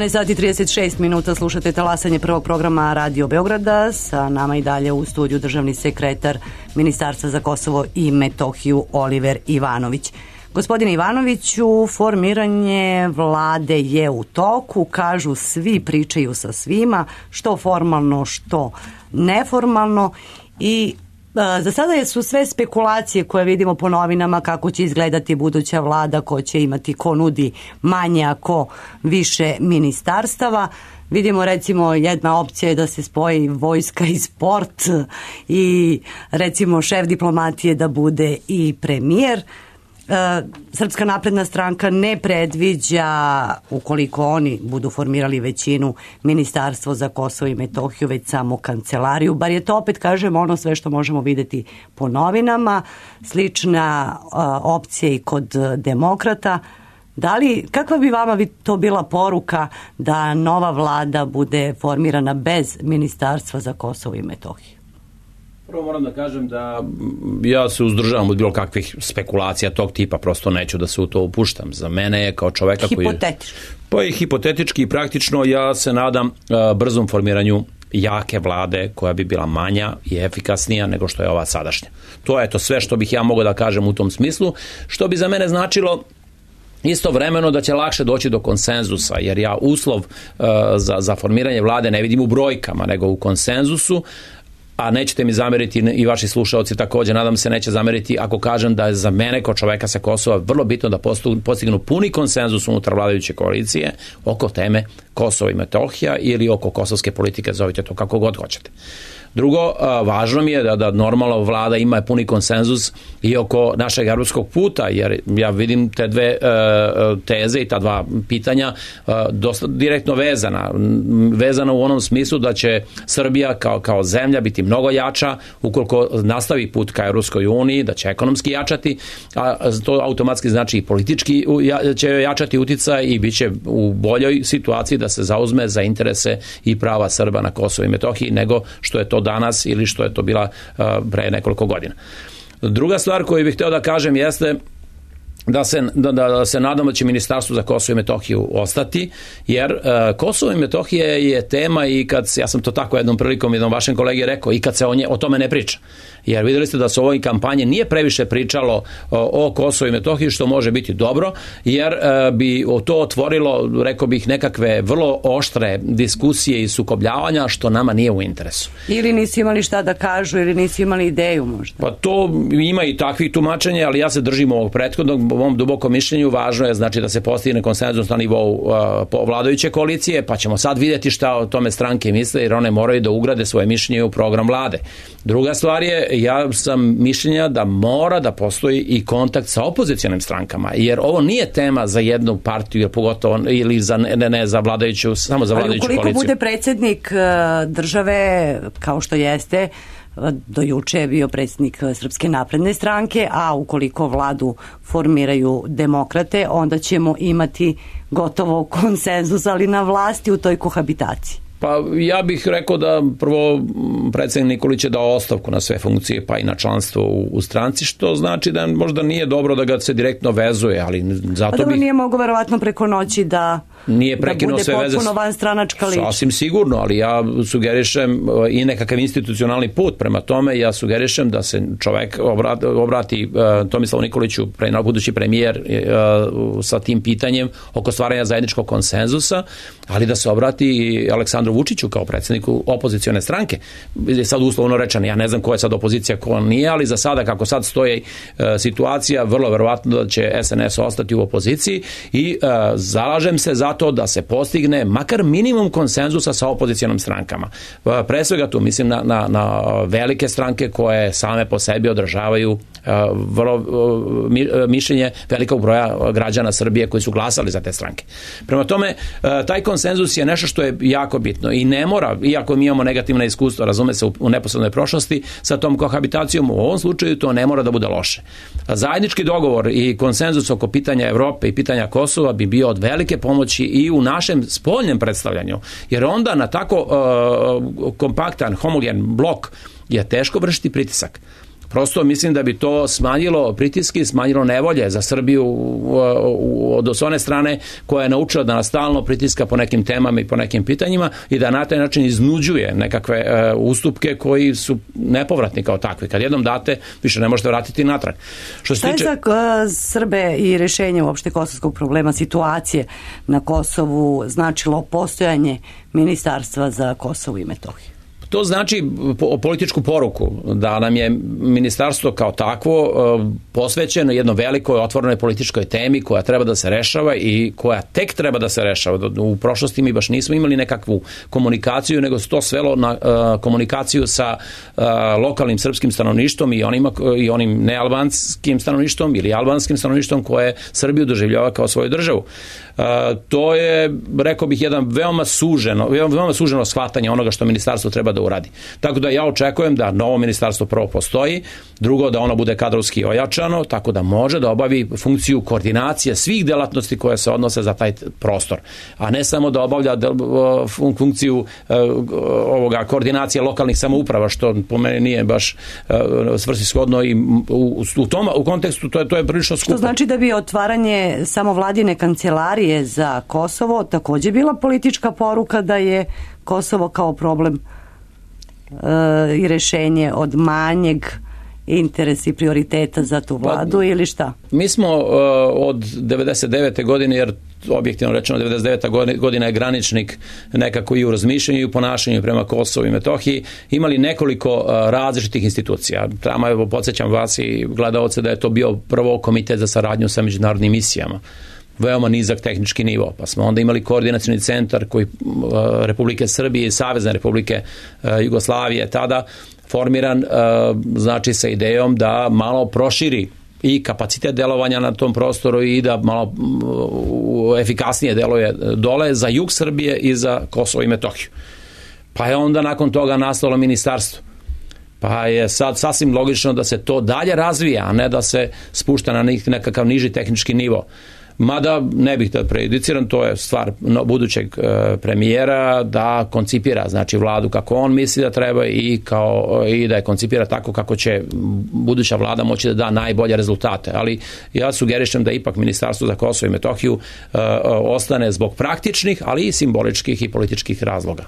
Sati 36 minuta, slušate talasanje prvog programa Radio Beograda. Sa nama i dalje u studiju državni sekretar Ministarstva za Kosovo i Metohiju Oliver Ivanović. Gospodine Ivanoviću, formiranje vlade je u toku, kažu svi, pričaju sa svima, što formalno, što neformalno, i za sada su sve spekulacije koje vidimo po novinama kako će izgledati buduća vlada, ko će imati, ko nudi manje, a ko više ministarstava. Vidimo recimo jedna opcija je da se spoji vojska i sport i recimo šef diplomatije da bude i premijer. Srpska napredna stranka ne predviđa, ukoliko oni budu formirali većinu, ministarstvo za Kosovo i Metohiju, već samo kancelariju. Bar je to, opet kažem, ono sve što možemo videti po novinama. Slična opcija i kod demokrata. Kakva bi vama to bila poruka da nova vlada bude formirana bez ministarstva za Kosovo i Metohiju? Prvo moram da kažem da ja se uzdržavam od bilo kakvih spekulacija tog tipa, prosto neću da se u to upuštam. Za mene je kao čoveka koji... Hipotetički. Pa i hipotetički i praktično ja se nadam brzom formiranju jake vlade koja bi bila manja i efikasnija nego što je ova sadašnja. To je to sve što bih ja mogao da kažem u tom smislu, što bi za mene značilo istovremeno da će lakše doći do konsenzusa, jer ja uslov za formiranje vlade ne vidim u brojkama, nego u konsenzusu. A nećete mi zameriti i vaši slušaoci također, nadam se neće zameriti ako kažem da je za mene kao čoveka sa Kosova vrlo bitno da postignu puni konsenzus unutar vladajuće koalicije oko teme Kosovo i Metohija ili oko kosovske politike, zovite to kako god hoćete. Drugo, važno mi je da normalno vlada ima puni konsenzus i oko našeg evropskog puta, jer ja vidim te dve teze i ta dva pitanja dosta direktno vezana u onom smislu da će Srbija kao zemlja biti mnogo jača ukoliko nastavi put ka Evropskoj uniji, da će ekonomski jačati, a to automatski znači i politički će jačati uticaj i bit će u boljoj situaciji da se zauzme za interese i prava Srba na Kosovo i Metohiji nego što je to danas ili što je to bila pre nekoliko godina. Druga stvar koju bih hteo da kažem jeste da se nadam da će Ministarstvo za Kosovo i Metohiju ostati, jer Kosovo i Metohija je tema i ja sam to tako jednom prilikom jednom vašem kolegi rekao, i kad se o tome ne priča. Jer videli ste da se u ovoj kampanji nije previše pričalo o Kosovo i Metohiji, što može biti dobro, jer bi to otvorilo, rekao bih, nekakve vrlo oštre diskusije i sukobljavanja, što nama nije u interesu. Ili nisu imali šta da kažu, ili nisu imali ideju možda. Pa to ima i takvih tumačenja, ali ja se držim ovog prethodnog. U mom dubokom mišljenju važno je znači da se postigne konsenzus na nivou vladajuće koalicije, pa ćemo sad vidjeti šta o tome stranke misle, jer one moraju da ugrade svoje mišljenje u program vlade. Druga stvar je, ja sam mišljenja da mora da postoji i kontakt sa opozicionim strankama, jer ovo nije tema za jednu partiju, pogotovo ili za vladajuću, samo za vladajuću koaliciju. Ali ukoliko bude predsjednik države, kao što jeste, do juče je bio predsjednik Srpske napredne stranke, a ukoliko vladu formiraju demokrate, onda ćemo imati gotovo konsenzus, ali na vlasti u toj kohabitaciji. Pa ja bih rekao da prvo predsjednik Nikolić je dao ostavku na sve funkcije, pa i na članstvo u stranci, što znači da možda nije dobro da ga se direktno vezuje, ali zato dobro, nije mogo verovatno preko noći da bude potpuno vanstranačka ličnost. Sasvim sigurno, ali ja sugerišem i nekakav institucionalni put prema tome, ja sugerišem da se čovek obrati Tomislavu Nikoliću, budući premijer, sa tim pitanjem oko stvaranja zajedničkog konsenzusa, ali da se obrati i Aleksandru Vučiću kao predsjedniku opozicione stranke. Sad uslovno rečeno, ja ne znam ko je sad opozicija, ko nije, ali za sada kako sad stoji situacija, vrlo verovatno da će SNS ostati u opoziciji i zalažem se za to da se postigne makar minimum konsenzusa sa opozicijonom strankama. Pre svega tu mislim na velike stranke koje same po sebi održavaju vrlo mišljenje velikog broja građana Srbije koji su glasali za te stranke. Prema tome, taj konsenzus je nešto što je jako bitno i ne mora, iako mi imamo negativna iskustva, razume se, u neposrednoj prošlosti sa tom kohabitacijom, u ovom slučaju to ne mora da bude loše. Zajednički dogovor i konsenzus oko pitanja Evrope i pitanja Kosova bi bio od velike pomoći i u našem spoljnem predstavljanju, jer onda na tako kompaktan, homogen blok je teško vršiti pritisak. Prosto mislim da bi to smanjilo pritiske, smanjilo nevolje za Srbiju od one strane koja je naučila da nas stalno pritiska po nekim temama i po nekim pitanjima i da na taj način iznuđuje nekakve ustupke koji su nepovratni kao takvi. Kad jednom date, više ne možete vratiti natrag. Šta je za Srbe i rešenje uopšte kosovskog problema, situacije na Kosovu značilo postojanje Ministarstva za Kosovo i Metohiju? To znači političku poruku da nam je ministarstvo kao takvo posvećeno jednoj velikoj otvorenoj političkoj temi koja treba da se rešava i koja tek treba da se rešava. U prošlosti mi baš nismo imali nekakvu komunikaciju, nego se to svelo na komunikaciju sa lokalnim srpskim stanovništvom i onim nealbanskim stanovništvom ili albanskim stanovništvom koje Srbiju doživljava kao svoju državu. To je, rekao bih, jedan veoma suženo shvatanje onoga što ministarstvo treba da uradi. Tako da ja očekujem da novo ministarstvo prvo postoji, drugo da ono bude kadrovski ojačano, tako da može da obavi funkciju koordinacije svih delatnosti koje se odnose za taj prostor, a ne samo da obavlja funkciju koordinacije lokalnih samouprava, što po meni nije baš svrsishodno i u kontekstu to je prilično skupo. Što znači da bi otvaranje samovladine kancelarije za Kosovo također bila politička poruka da je Kosovo kao problem i rešenje od manjeg interesa i prioriteta za tu vladu ili šta? Mi smo od 99. godine, jer objektivno rečeno 99. godina je graničnik nekako i u razmišljanju i u ponašanju prema Kosovu i Metohiji, imali nekoliko različitih institucija. Tamo, evo, podsjećam vas i gledaoce da je to bio prvo komitet za saradnju sa međunarodnim misijama. Veoma nizak tehnički nivo, pa smo onda imali koordinacioni centar koji Republike Srbije i Savezne Republike Jugoslavije tada formiran, znači sa idejom da malo proširi i kapacitet delovanja na tom prostoru i da malo efikasnije deluje dole za jug Srbije i za Kosovo i Metohiju. Pa je onda nakon toga nastalo ministarstvo. Pa je sad sasvim logično da se to dalje razvija, a ne da se spušta na nekakav niži tehnički nivo. Mada ne bih da prejudiciram, to je stvar budućeg premijera da koncipira znači vladu kako on misli da treba i da je koncipira tako kako će buduća vlada moći da da najbolje rezultate. Ali ja sugerišem da ipak Ministarstvo za Kosovo i Metohiju ostane zbog praktičnih, ali i simboličkih i političkih razloga.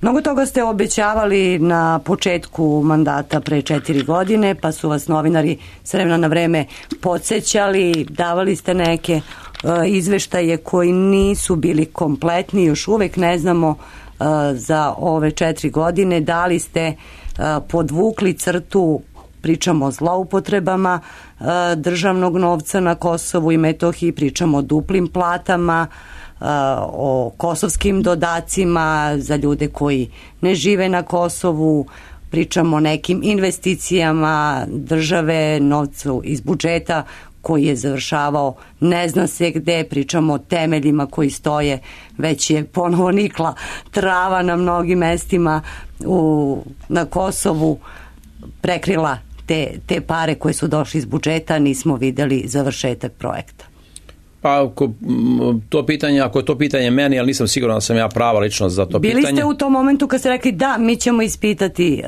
Mnogo toga ste obećavali na početku mandata pre 4 godine, pa su vas novinari s vremena na vreme podsjećali, davali ste neke izveštaje koji nisu bili kompletni, još uvek ne znamo za ove 4 godine da li ste podvukli crtu, pričamo o zloupotrebama državnog novca na Kosovu i Metohiji, pričamo o duplim platama, o kosovskim dodacima za ljude koji ne žive na Kosovu, pričamo o nekim investicijama države, novcu iz budžeta koji je završavao ne zna se gde, pričamo o temeljima koji stoje, već je ponovo nikla trava na mnogim mestima na Kosovu, prekrila te pare koje su došli iz budžeta, nismo videli završetak projekta. Pa ako je to pitanje meni, ali nisam siguran da sam ja prava ličnost za to pitanje. Bili ste u tom momentu kad ste rekli da, mi ćemo ispitati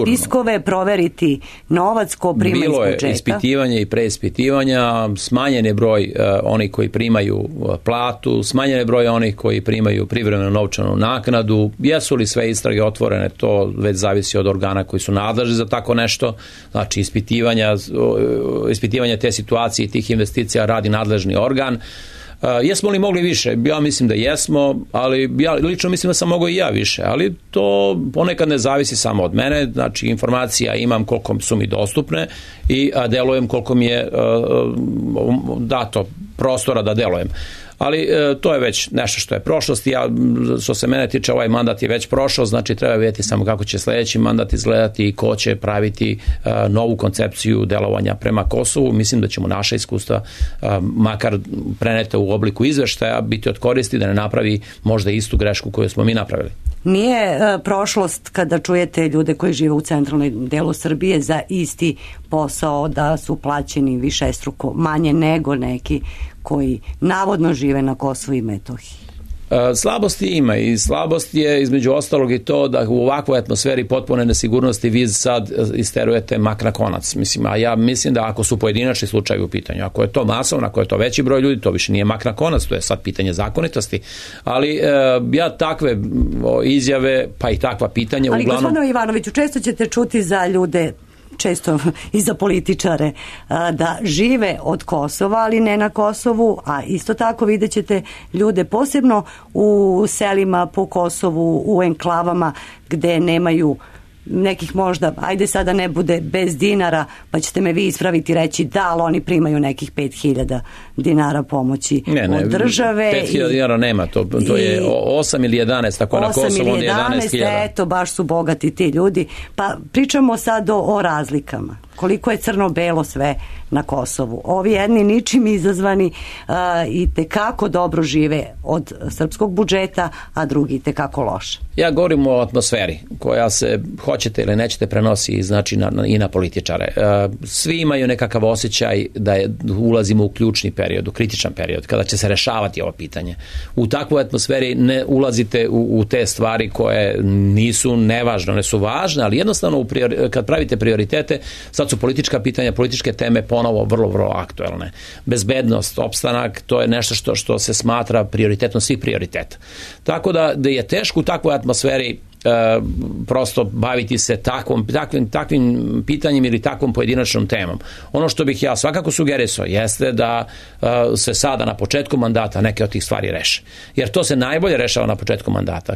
spiskove, proveriti novac ko prima iz budžeta? Bilo je ispitivanje i preispitivanja, smanjen je broj onih koji primaju platu, smanjen je broj onih koji primaju privremenu novčanu naknadu. Jesu li sve istrage otvorene, to već zavisi od organa koji su nadležni za tako nešto. Znači ispitivanje te situacije i tih investicija radi nadležni organ. Jesmo li mogli više? Ja mislim da jesmo, ali ja lično mislim da sam mogao i ja više, ali to ponekad ne zavisi samo od mene, znači informacija imam koliko su mi dostupne i delujem koliko mi je dato prostora da delujem. Ali to je već nešto što je prošlost. Što se mene tiče, ovaj mandat je već prošao, znači treba vidjeti samo kako će sljedeći mandat izgledati i ko će praviti novu koncepciju delovanja prema Kosovu. Mislim da ćemo naša iskustva, makar prenete u obliku izveštaja, biti od koristi da ne napravi možda istu grešku koju smo mi napravili. Nije prošlost kada čujete ljude koji žive u centralnoj delu Srbije za isti posao da su plaćeni višestruko manje nego neki koji navodno žive na Kosovu i Metohiji? Slabosti ima i slabost je između ostalog i to da u ovakvoj atmosferi potpune nesigurnosti vi sad isterujete mak na konac. A ja mislim da ako su pojedinačni slučajevi u pitanju, ako je to masovno, ako je to veći broj ljudi, to više nije mak na konac, to je sad pitanje zakonitosti. Ali ja takve izjave, pa i takva pitanja ali uglavnom... Ali gospodine Ivanoviću, često ćete čuti za ljude, često i za političare, da žive od Kosova, ali ne na Kosovu, a isto tako vidjet ćete ljude posebno u selima po Kosovu, u enklavama gde nemaju nekih možda, ajde sada ne bude bez dinara, pa ćete me vi ispraviti i reći da, ali oni primaju nekih 5.000 dinara pomoći od države. 5.000 dinara nema, to je 8 ili 11, tako na Kosovu on je 11.000. Eto, baš su bogati ti ljudi. Pa pričamo sad o razlikama. Koliko je crno-belo sve na Kosovu. Ovi jedni ničim izazvani i tekako dobro žive od srpskog budžeta, a drugi tekako loše. Ja govorim o atmosferi koja se, hoćete ili nećete, prenosi znači i na političare. Svi imaju nekakav osjećaj da ulazimo u ključni period, u kritičan period, kada će se rešavati ovo pitanje. U takvoj atmosferi ne ulazite u te stvari koje nisu nevažne, one su važne, ali jednostavno kad pravite prioritete, sad su politička pitanja, političke teme ponovo vrlo, vrlo aktuelne. Bezbednost, opstanak, to je nešto što se smatra prioritetom svih prioriteta. Tako da je teško u takvoj atmosferi prosto baviti se takvim pitanjem ili takvom pojedinačnom temom. Ono što bih ja svakako sugerisao jeste da se sada na početku mandata neke od tih stvari reše. Jer to se najbolje rešava na početku mandata.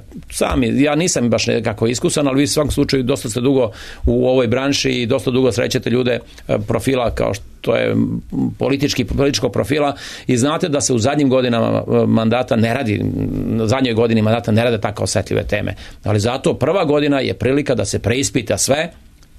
Ja nisam baš nekako iskusan, ali vi u svakom slučaju dosta ste dugo u ovoj branši i dosta dugo srećete ljude profila kao što to je političkog profila i znate da se u zadnjim godinama mandata ne radi, zadnjoj godini mandata ne rade tako osetljive teme. Ali zato prva godina je prilika da se preispita sve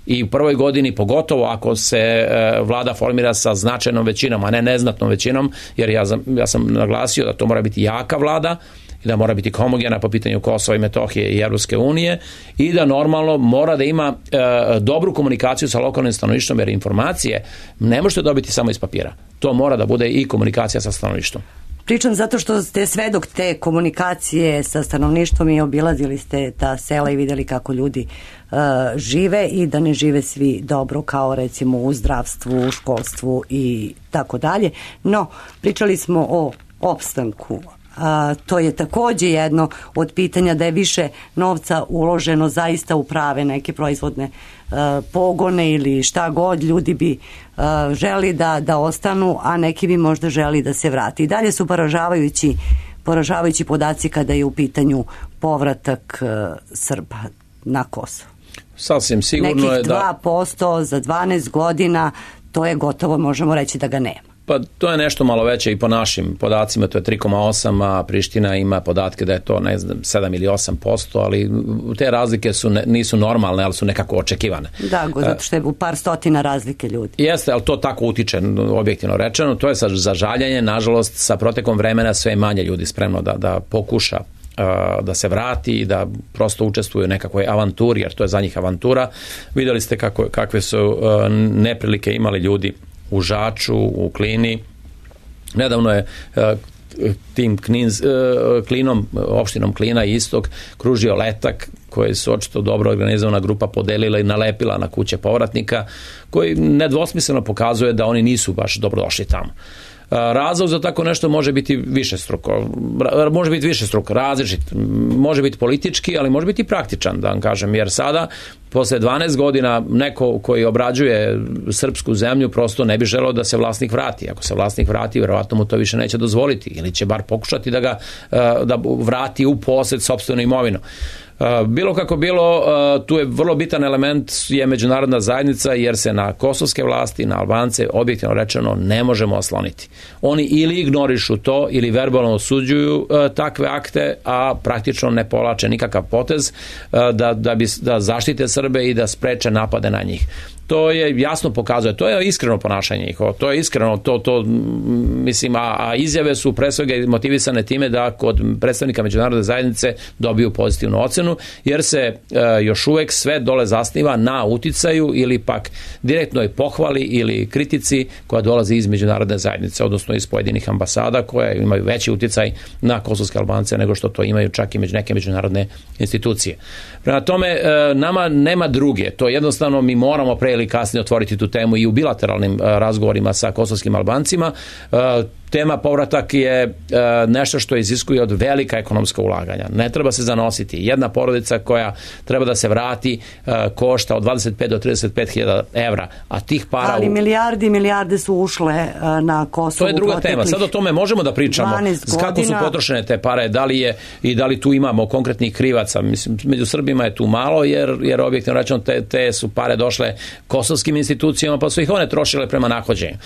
i u prvoj godini, pogotovo ako se vlada formira sa značajnom većinom, a ne neznatnom većinom, jer ja sam naglasio da to mora biti jaka vlada i da mora biti homogena po pitanju Kosova i Metohije i Evropske unije i da normalno mora da ima dobru komunikaciju sa lokalnim stanovništvom, jer informacije ne možete dobiti samo iz papira. to mora da bude i komunikacija sa stanovništvom. Pričam zato što ste svedok te komunikacije sa stanovništvom i obilazili ste ta sela i videli kako ljudi žive i da ne žive svi dobro kao recimo u zdravstvu, u školstvu i tako dalje. No, pričali smo o opstanku. To je takođe jedno od pitanja da je više novca uloženo zaista u prave neke proizvodne pogone ili šta god, ljudi bi želi da ostanu, a neki bi možda želi da se vrati. I dalje su poražavajući podaci kada je u pitanju povratak Srba na Kosovo. Sasvim sigurno nekih je da 2% za 12 godina, to je gotovo, možemo reći da ga nema. Pa to je nešto malo veće i po našim podacima, to je 3,8, a Priština ima podatke da je to, ne znam, 7 ili 8%, ali te razlike nisu normalne, ali su nekako očekivane. Da, zato što je u par stotina razlike ljudi. Jeste, ali to tako utiče, objektivno rečeno, to je za žaljenje, nažalost, sa protekom vremena sve manje ljudi spremno da pokuša da se vrati i da prosto učestvuju u nekakvoj avanturi, jer to je za njih avantura. Videli ste kakve su neprilike imali ljudi u Žaču, u Klini. Nedavno je tim Klinom, opštinom Klina i Istok kružio letak koji su očito dobro organizovana grupa podelila i nalepila na kuće povratnika, koji nedvosmisleno pokazuje da oni nisu baš dobrodošli tamo. Razlog za tako nešto može biti višestruko, različit, može biti politički, ali može biti i praktičan, da vam kažem, jer sada, posle 12 godina, neko koji obrađuje srpsku zemlju prosto ne bi želeo da se vlasnik vrati. Ako se vlasnik vrati, verovatno mu to više neće dozvoliti, ili će bar pokušati da vrati u posed sopstvenu imovinu. Bilo kako bilo, tu je vrlo bitan element je međunarodna zajednica, jer se na kosovske vlasti, na Albance, objektivno rečeno, ne možemo osloniti. Oni ili ignorišu to, ili verbalno osuđuju takve akte, a praktično ne povlače nikakav potez da zaštite Srbe i da spreče napade na njih. To je jasno pokazuje, to je iskreno ponašanje njihovo, to je iskreno, mislim, a izjave su pre svega motivisane time da kod predstavnika međunarodne zajednice dobiju pozitivnu ocenu, jer se još uvek sve dole zasniva na uticaju ili pak direktnoj pohvali ili kritici koja dolazi iz međunarodne zajednice, odnosno iz pojedinih ambasada koje imaju veći uticaj na kosovske Albance nego što to imaju čak i neke međunarodne institucije. Prema tome, nama nema druge, to jednostavno mi moramo pre ili kasnije otvoriti tu temu i u bilateralnim razgovorima sa kosovskim Albancima. Tema povratak je nešto što iziskuje od velika ekonomska ulaganja. Ne treba se zanositi. Jedna porodica koja treba da se vrati košta od 25 do 35 hiljada evra, a tih para... Ali milijarde su ušle na Kosovu. To je druga tema. Sad o tome možemo da pričamo. Kako su potrošene te pare, da li tu imamo konkretnih krivaca. Mislim, među Srbima je tu malo, jer objektivno rečeno te su pare došle kosovskim institucijama, pa su ih one trošile prema nahođenju.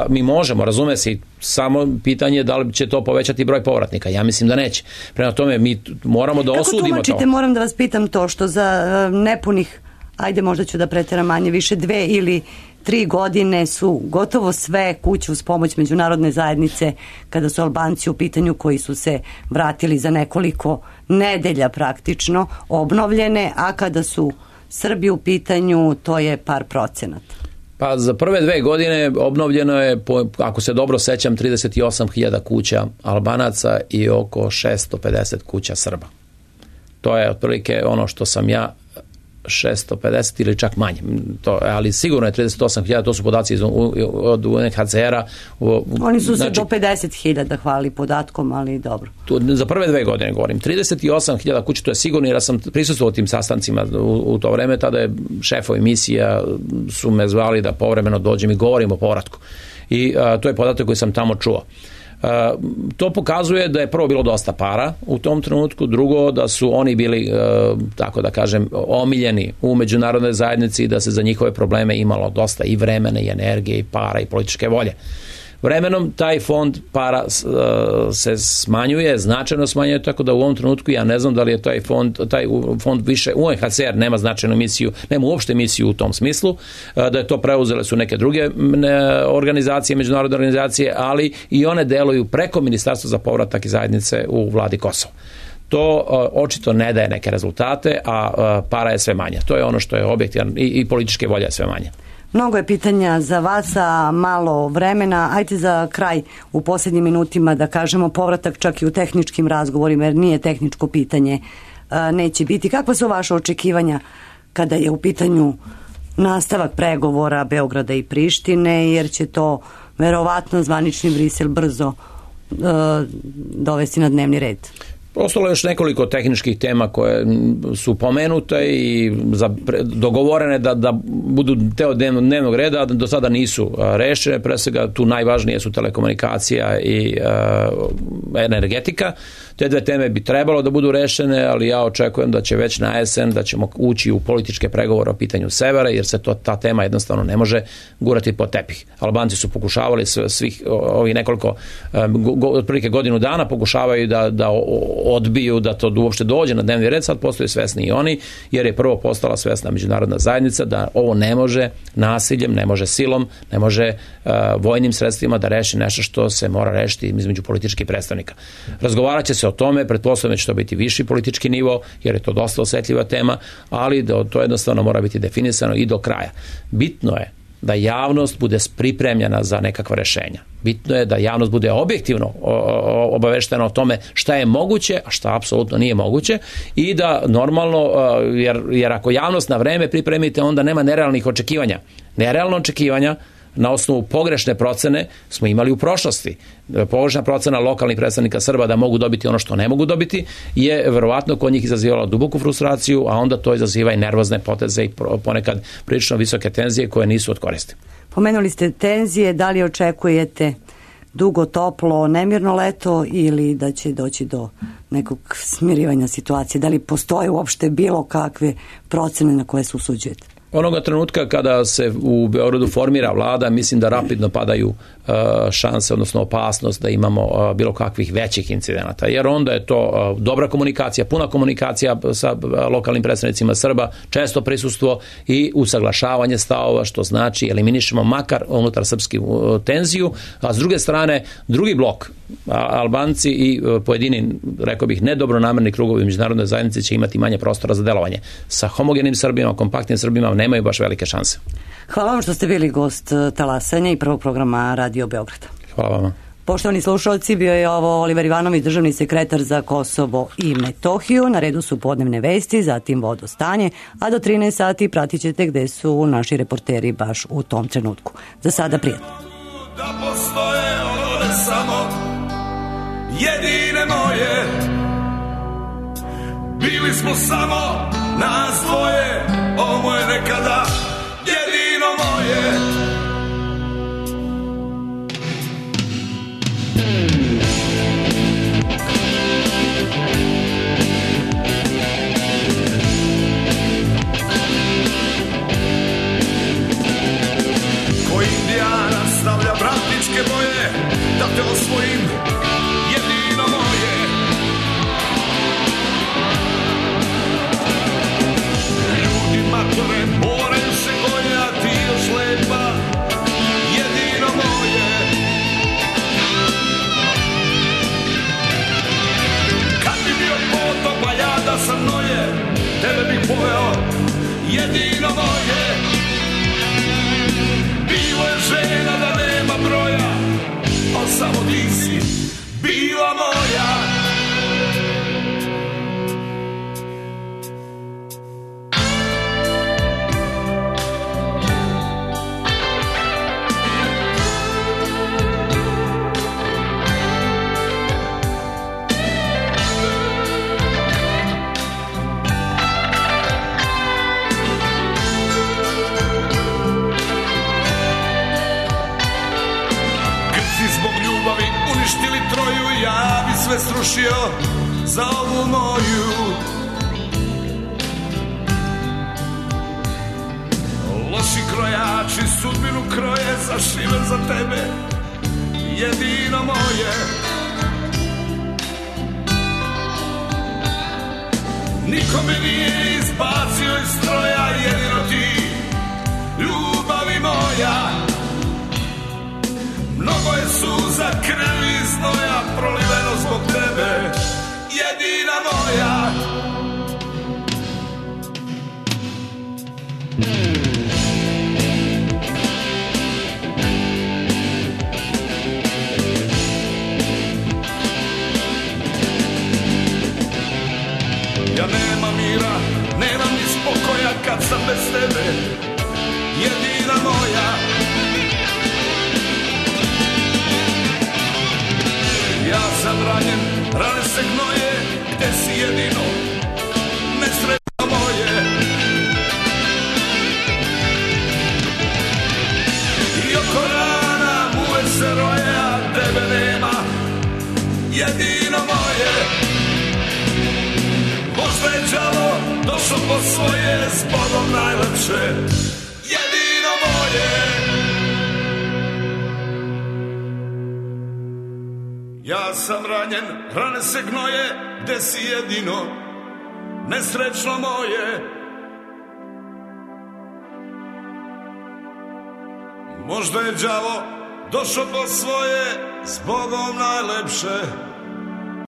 Mi možemo, razume se, samo pitanje da li će to povećati broj povratnika. Ja mislim da neće. Prema tome mi moramo da osudimo to. Kako tumačite, moram da vas pitam to, što za nepunih, ajde možda ću da preteram manje više, 2 ili 3 godine su gotovo sve kuće uz pomoć međunarodne zajednice, kada su Albanci u pitanju koji su se vratili za nekoliko nedelja praktično, obnovljene, a kada su Srbi u pitanju, to je par procenata. Pa za prve 2 godine obnovljeno je, ako se dobro sećam, 38.000 kuća Albanaca i oko 650 kuća Srba. To je otprilike ono što sam ja, 650 ili čak manje. Ali sigurno je 38.000, to su podaci od UNHCR-a. Oni su se do 50.000 hvali podatkom, ali dobro. Za prve 2 godine govorim. 38.000 kuća, to je sigurno, jer sam prisustvovao tim sastancima u to vreme, tada je šefovi misija su me zvali da povremeno dođem i govorim o povratku. I to je podatak koji sam tamo čuo. To pokazuje da je prvo bilo dosta para u tom trenutku, drugo da su oni bili, tako da kažem, omiljeni u međunarodnoj zajednici i da se za njihove probleme imalo dosta i vremena i energije i para i političke volje. Vremenom taj fond para se smanjuje, značajno smanjuje, tako da u ovom trenutku ja ne znam da li je taj fond više, UNHCR nema značajnu misiju, nema uopšte misiju u tom smislu, da je to preuzele su neke druge organizacije, međunarodne organizacije, ali i one deluju preko Ministarstva za povratak i zajednice u vladi Kosova. To očito ne daje neke rezultate, a para je sve manje. To je ono što je objektivno i političke volje je sve manje. Mnogo je pitanja za vas, a malo vremena. Ajde za kraj u posljednjim minutima da kažemo povratak čak i u tehničkim razgovorima, jer nije tehničko pitanje, neće biti. Kakva su vaše očekivanja kada je u pitanju nastavak pregovora Beograda i Prištine, jer će to verovatno zvanični Brisel brzo dovesti na dnevni red? Ostalo je još nekoliko tehničkih tema koje su pomenute i dogovorene da budu deo dnevnog reda, do sada nisu rešene. Pre svega tu najvažnije su telekomunikacija i energetika. Te dve teme bi trebalo da budu rešene, ali ja očekujem da će već na jesen da ćemo ući u političke pregovore o pitanju severa, jer se ta tema jednostavno ne može gurati pod tepih. Albanci su pokušavali svih ovih nekoliko, otprilike godinu dana, pokušavaju da odbiju da to uopšte dođe na dnevni red. Sad postaju svesni i oni, jer je prvo postala svesna međunarodna zajednica da ovo ne može nasiljem, ne može silom, ne može vojnim sredstvima da reši nešto što se mora rešiti između političkih predstavnika. Razgovarat će se o tome, pretpostavljam da će to biti viši politički nivo, jer je to dosta osetljiva tema, ali to jednostavno mora biti definisano i do kraja. Bitno je da javnost bude pripremljena za nekakva rešenja. Bitno je da javnost bude objektivno obaveštena o tome šta je moguće, a šta apsolutno nije moguće, i da normalno, jer ako javnost na vreme pripremite, onda nema nerealnih očekivanja. Nerealno očekivanja na osnovu pogrešne procene smo imali u prošlosti. Pogrešna procena lokalnih predstavnika Srba da mogu dobiti ono što ne mogu dobiti je verovatno kod njih izazivala duboku frustraciju, a onda to izaziva i nervozne poteze i ponekad prilično visoke tenzije koje nisu od koristi. Pomenuli ste tenzije, da li očekujete dugo, toplo, nemirno leto ili da će doći do nekog smirivanja situacije? Da li postoje uopšte bilo kakve procene na koje se usuđujete? Onoga trenutka kada se u Beogradu formira vlada, mislim da rapidno padaju šanse, odnosno opasnost da imamo bilo kakvih većih incidenata, jer onda je to dobra komunikacija, puna komunikacija sa lokalnim predstavnicima Srba, često prisustvo i usaglašavanje stavova, što znači eliminišemo makar unutar srpsku tenziju, a s druge strane drugi blok, Albanci i pojedini, rekao bih, nedobronamerni krugovi međunarodne zajednice će imati manje prostora za delovanje. Sa homogenim Srbima, kompaktnim Srbima nemaju baš velike šanse. Hvala vam što ste bili gost Talasanja i prvog programa Radio Beograda. Hvala vam. Poštovani slušalci, bio je ovo Oliver Ivanović, državni sekretar za Kosovo i Metohiju. Na redu su podnevne vesti, zatim vodostanje, a do 13 sati pratit ćete gde su naši reporteri baš u tom trenutku. Za sada prijatno. Da postoje one samo jedine moje, bili smo samo nas dvoje, ovo je nekada jedino moje. Ko Indijana stavlja bratičke boje, da te osvojim, jedino moje. Ljudi matore moraju se goje, a ti još lepa, jedino moje. Kad bi bio potop, a ja da sam noje, tebe bih pojao, jedino moje. Bilo je žena da nema broja, al samo ti si bila moja. Uništili Troju, ja bi sve srušio za ovu moju. Loši krojači sudbinu kroje, zašiven za tebe, jedino moje. Niko me nije izbacio iz stroja, jedino ti, ljubavi moja. Mnogo je suza, krvi i znoja proliveno zbog tebe, jedina moja. se gnoje, gde si jedino nesretno moje. I oko rana muve se roje, a tebe nema, jedino moje. Možda je đavo došao po svoje, s Bogom najlepše, jedino moje. Ja sam ranjen, rane se gnoje, gde si jedino nesrećno moje. Možda je đavo došao po svoje, s Bogom najlepše,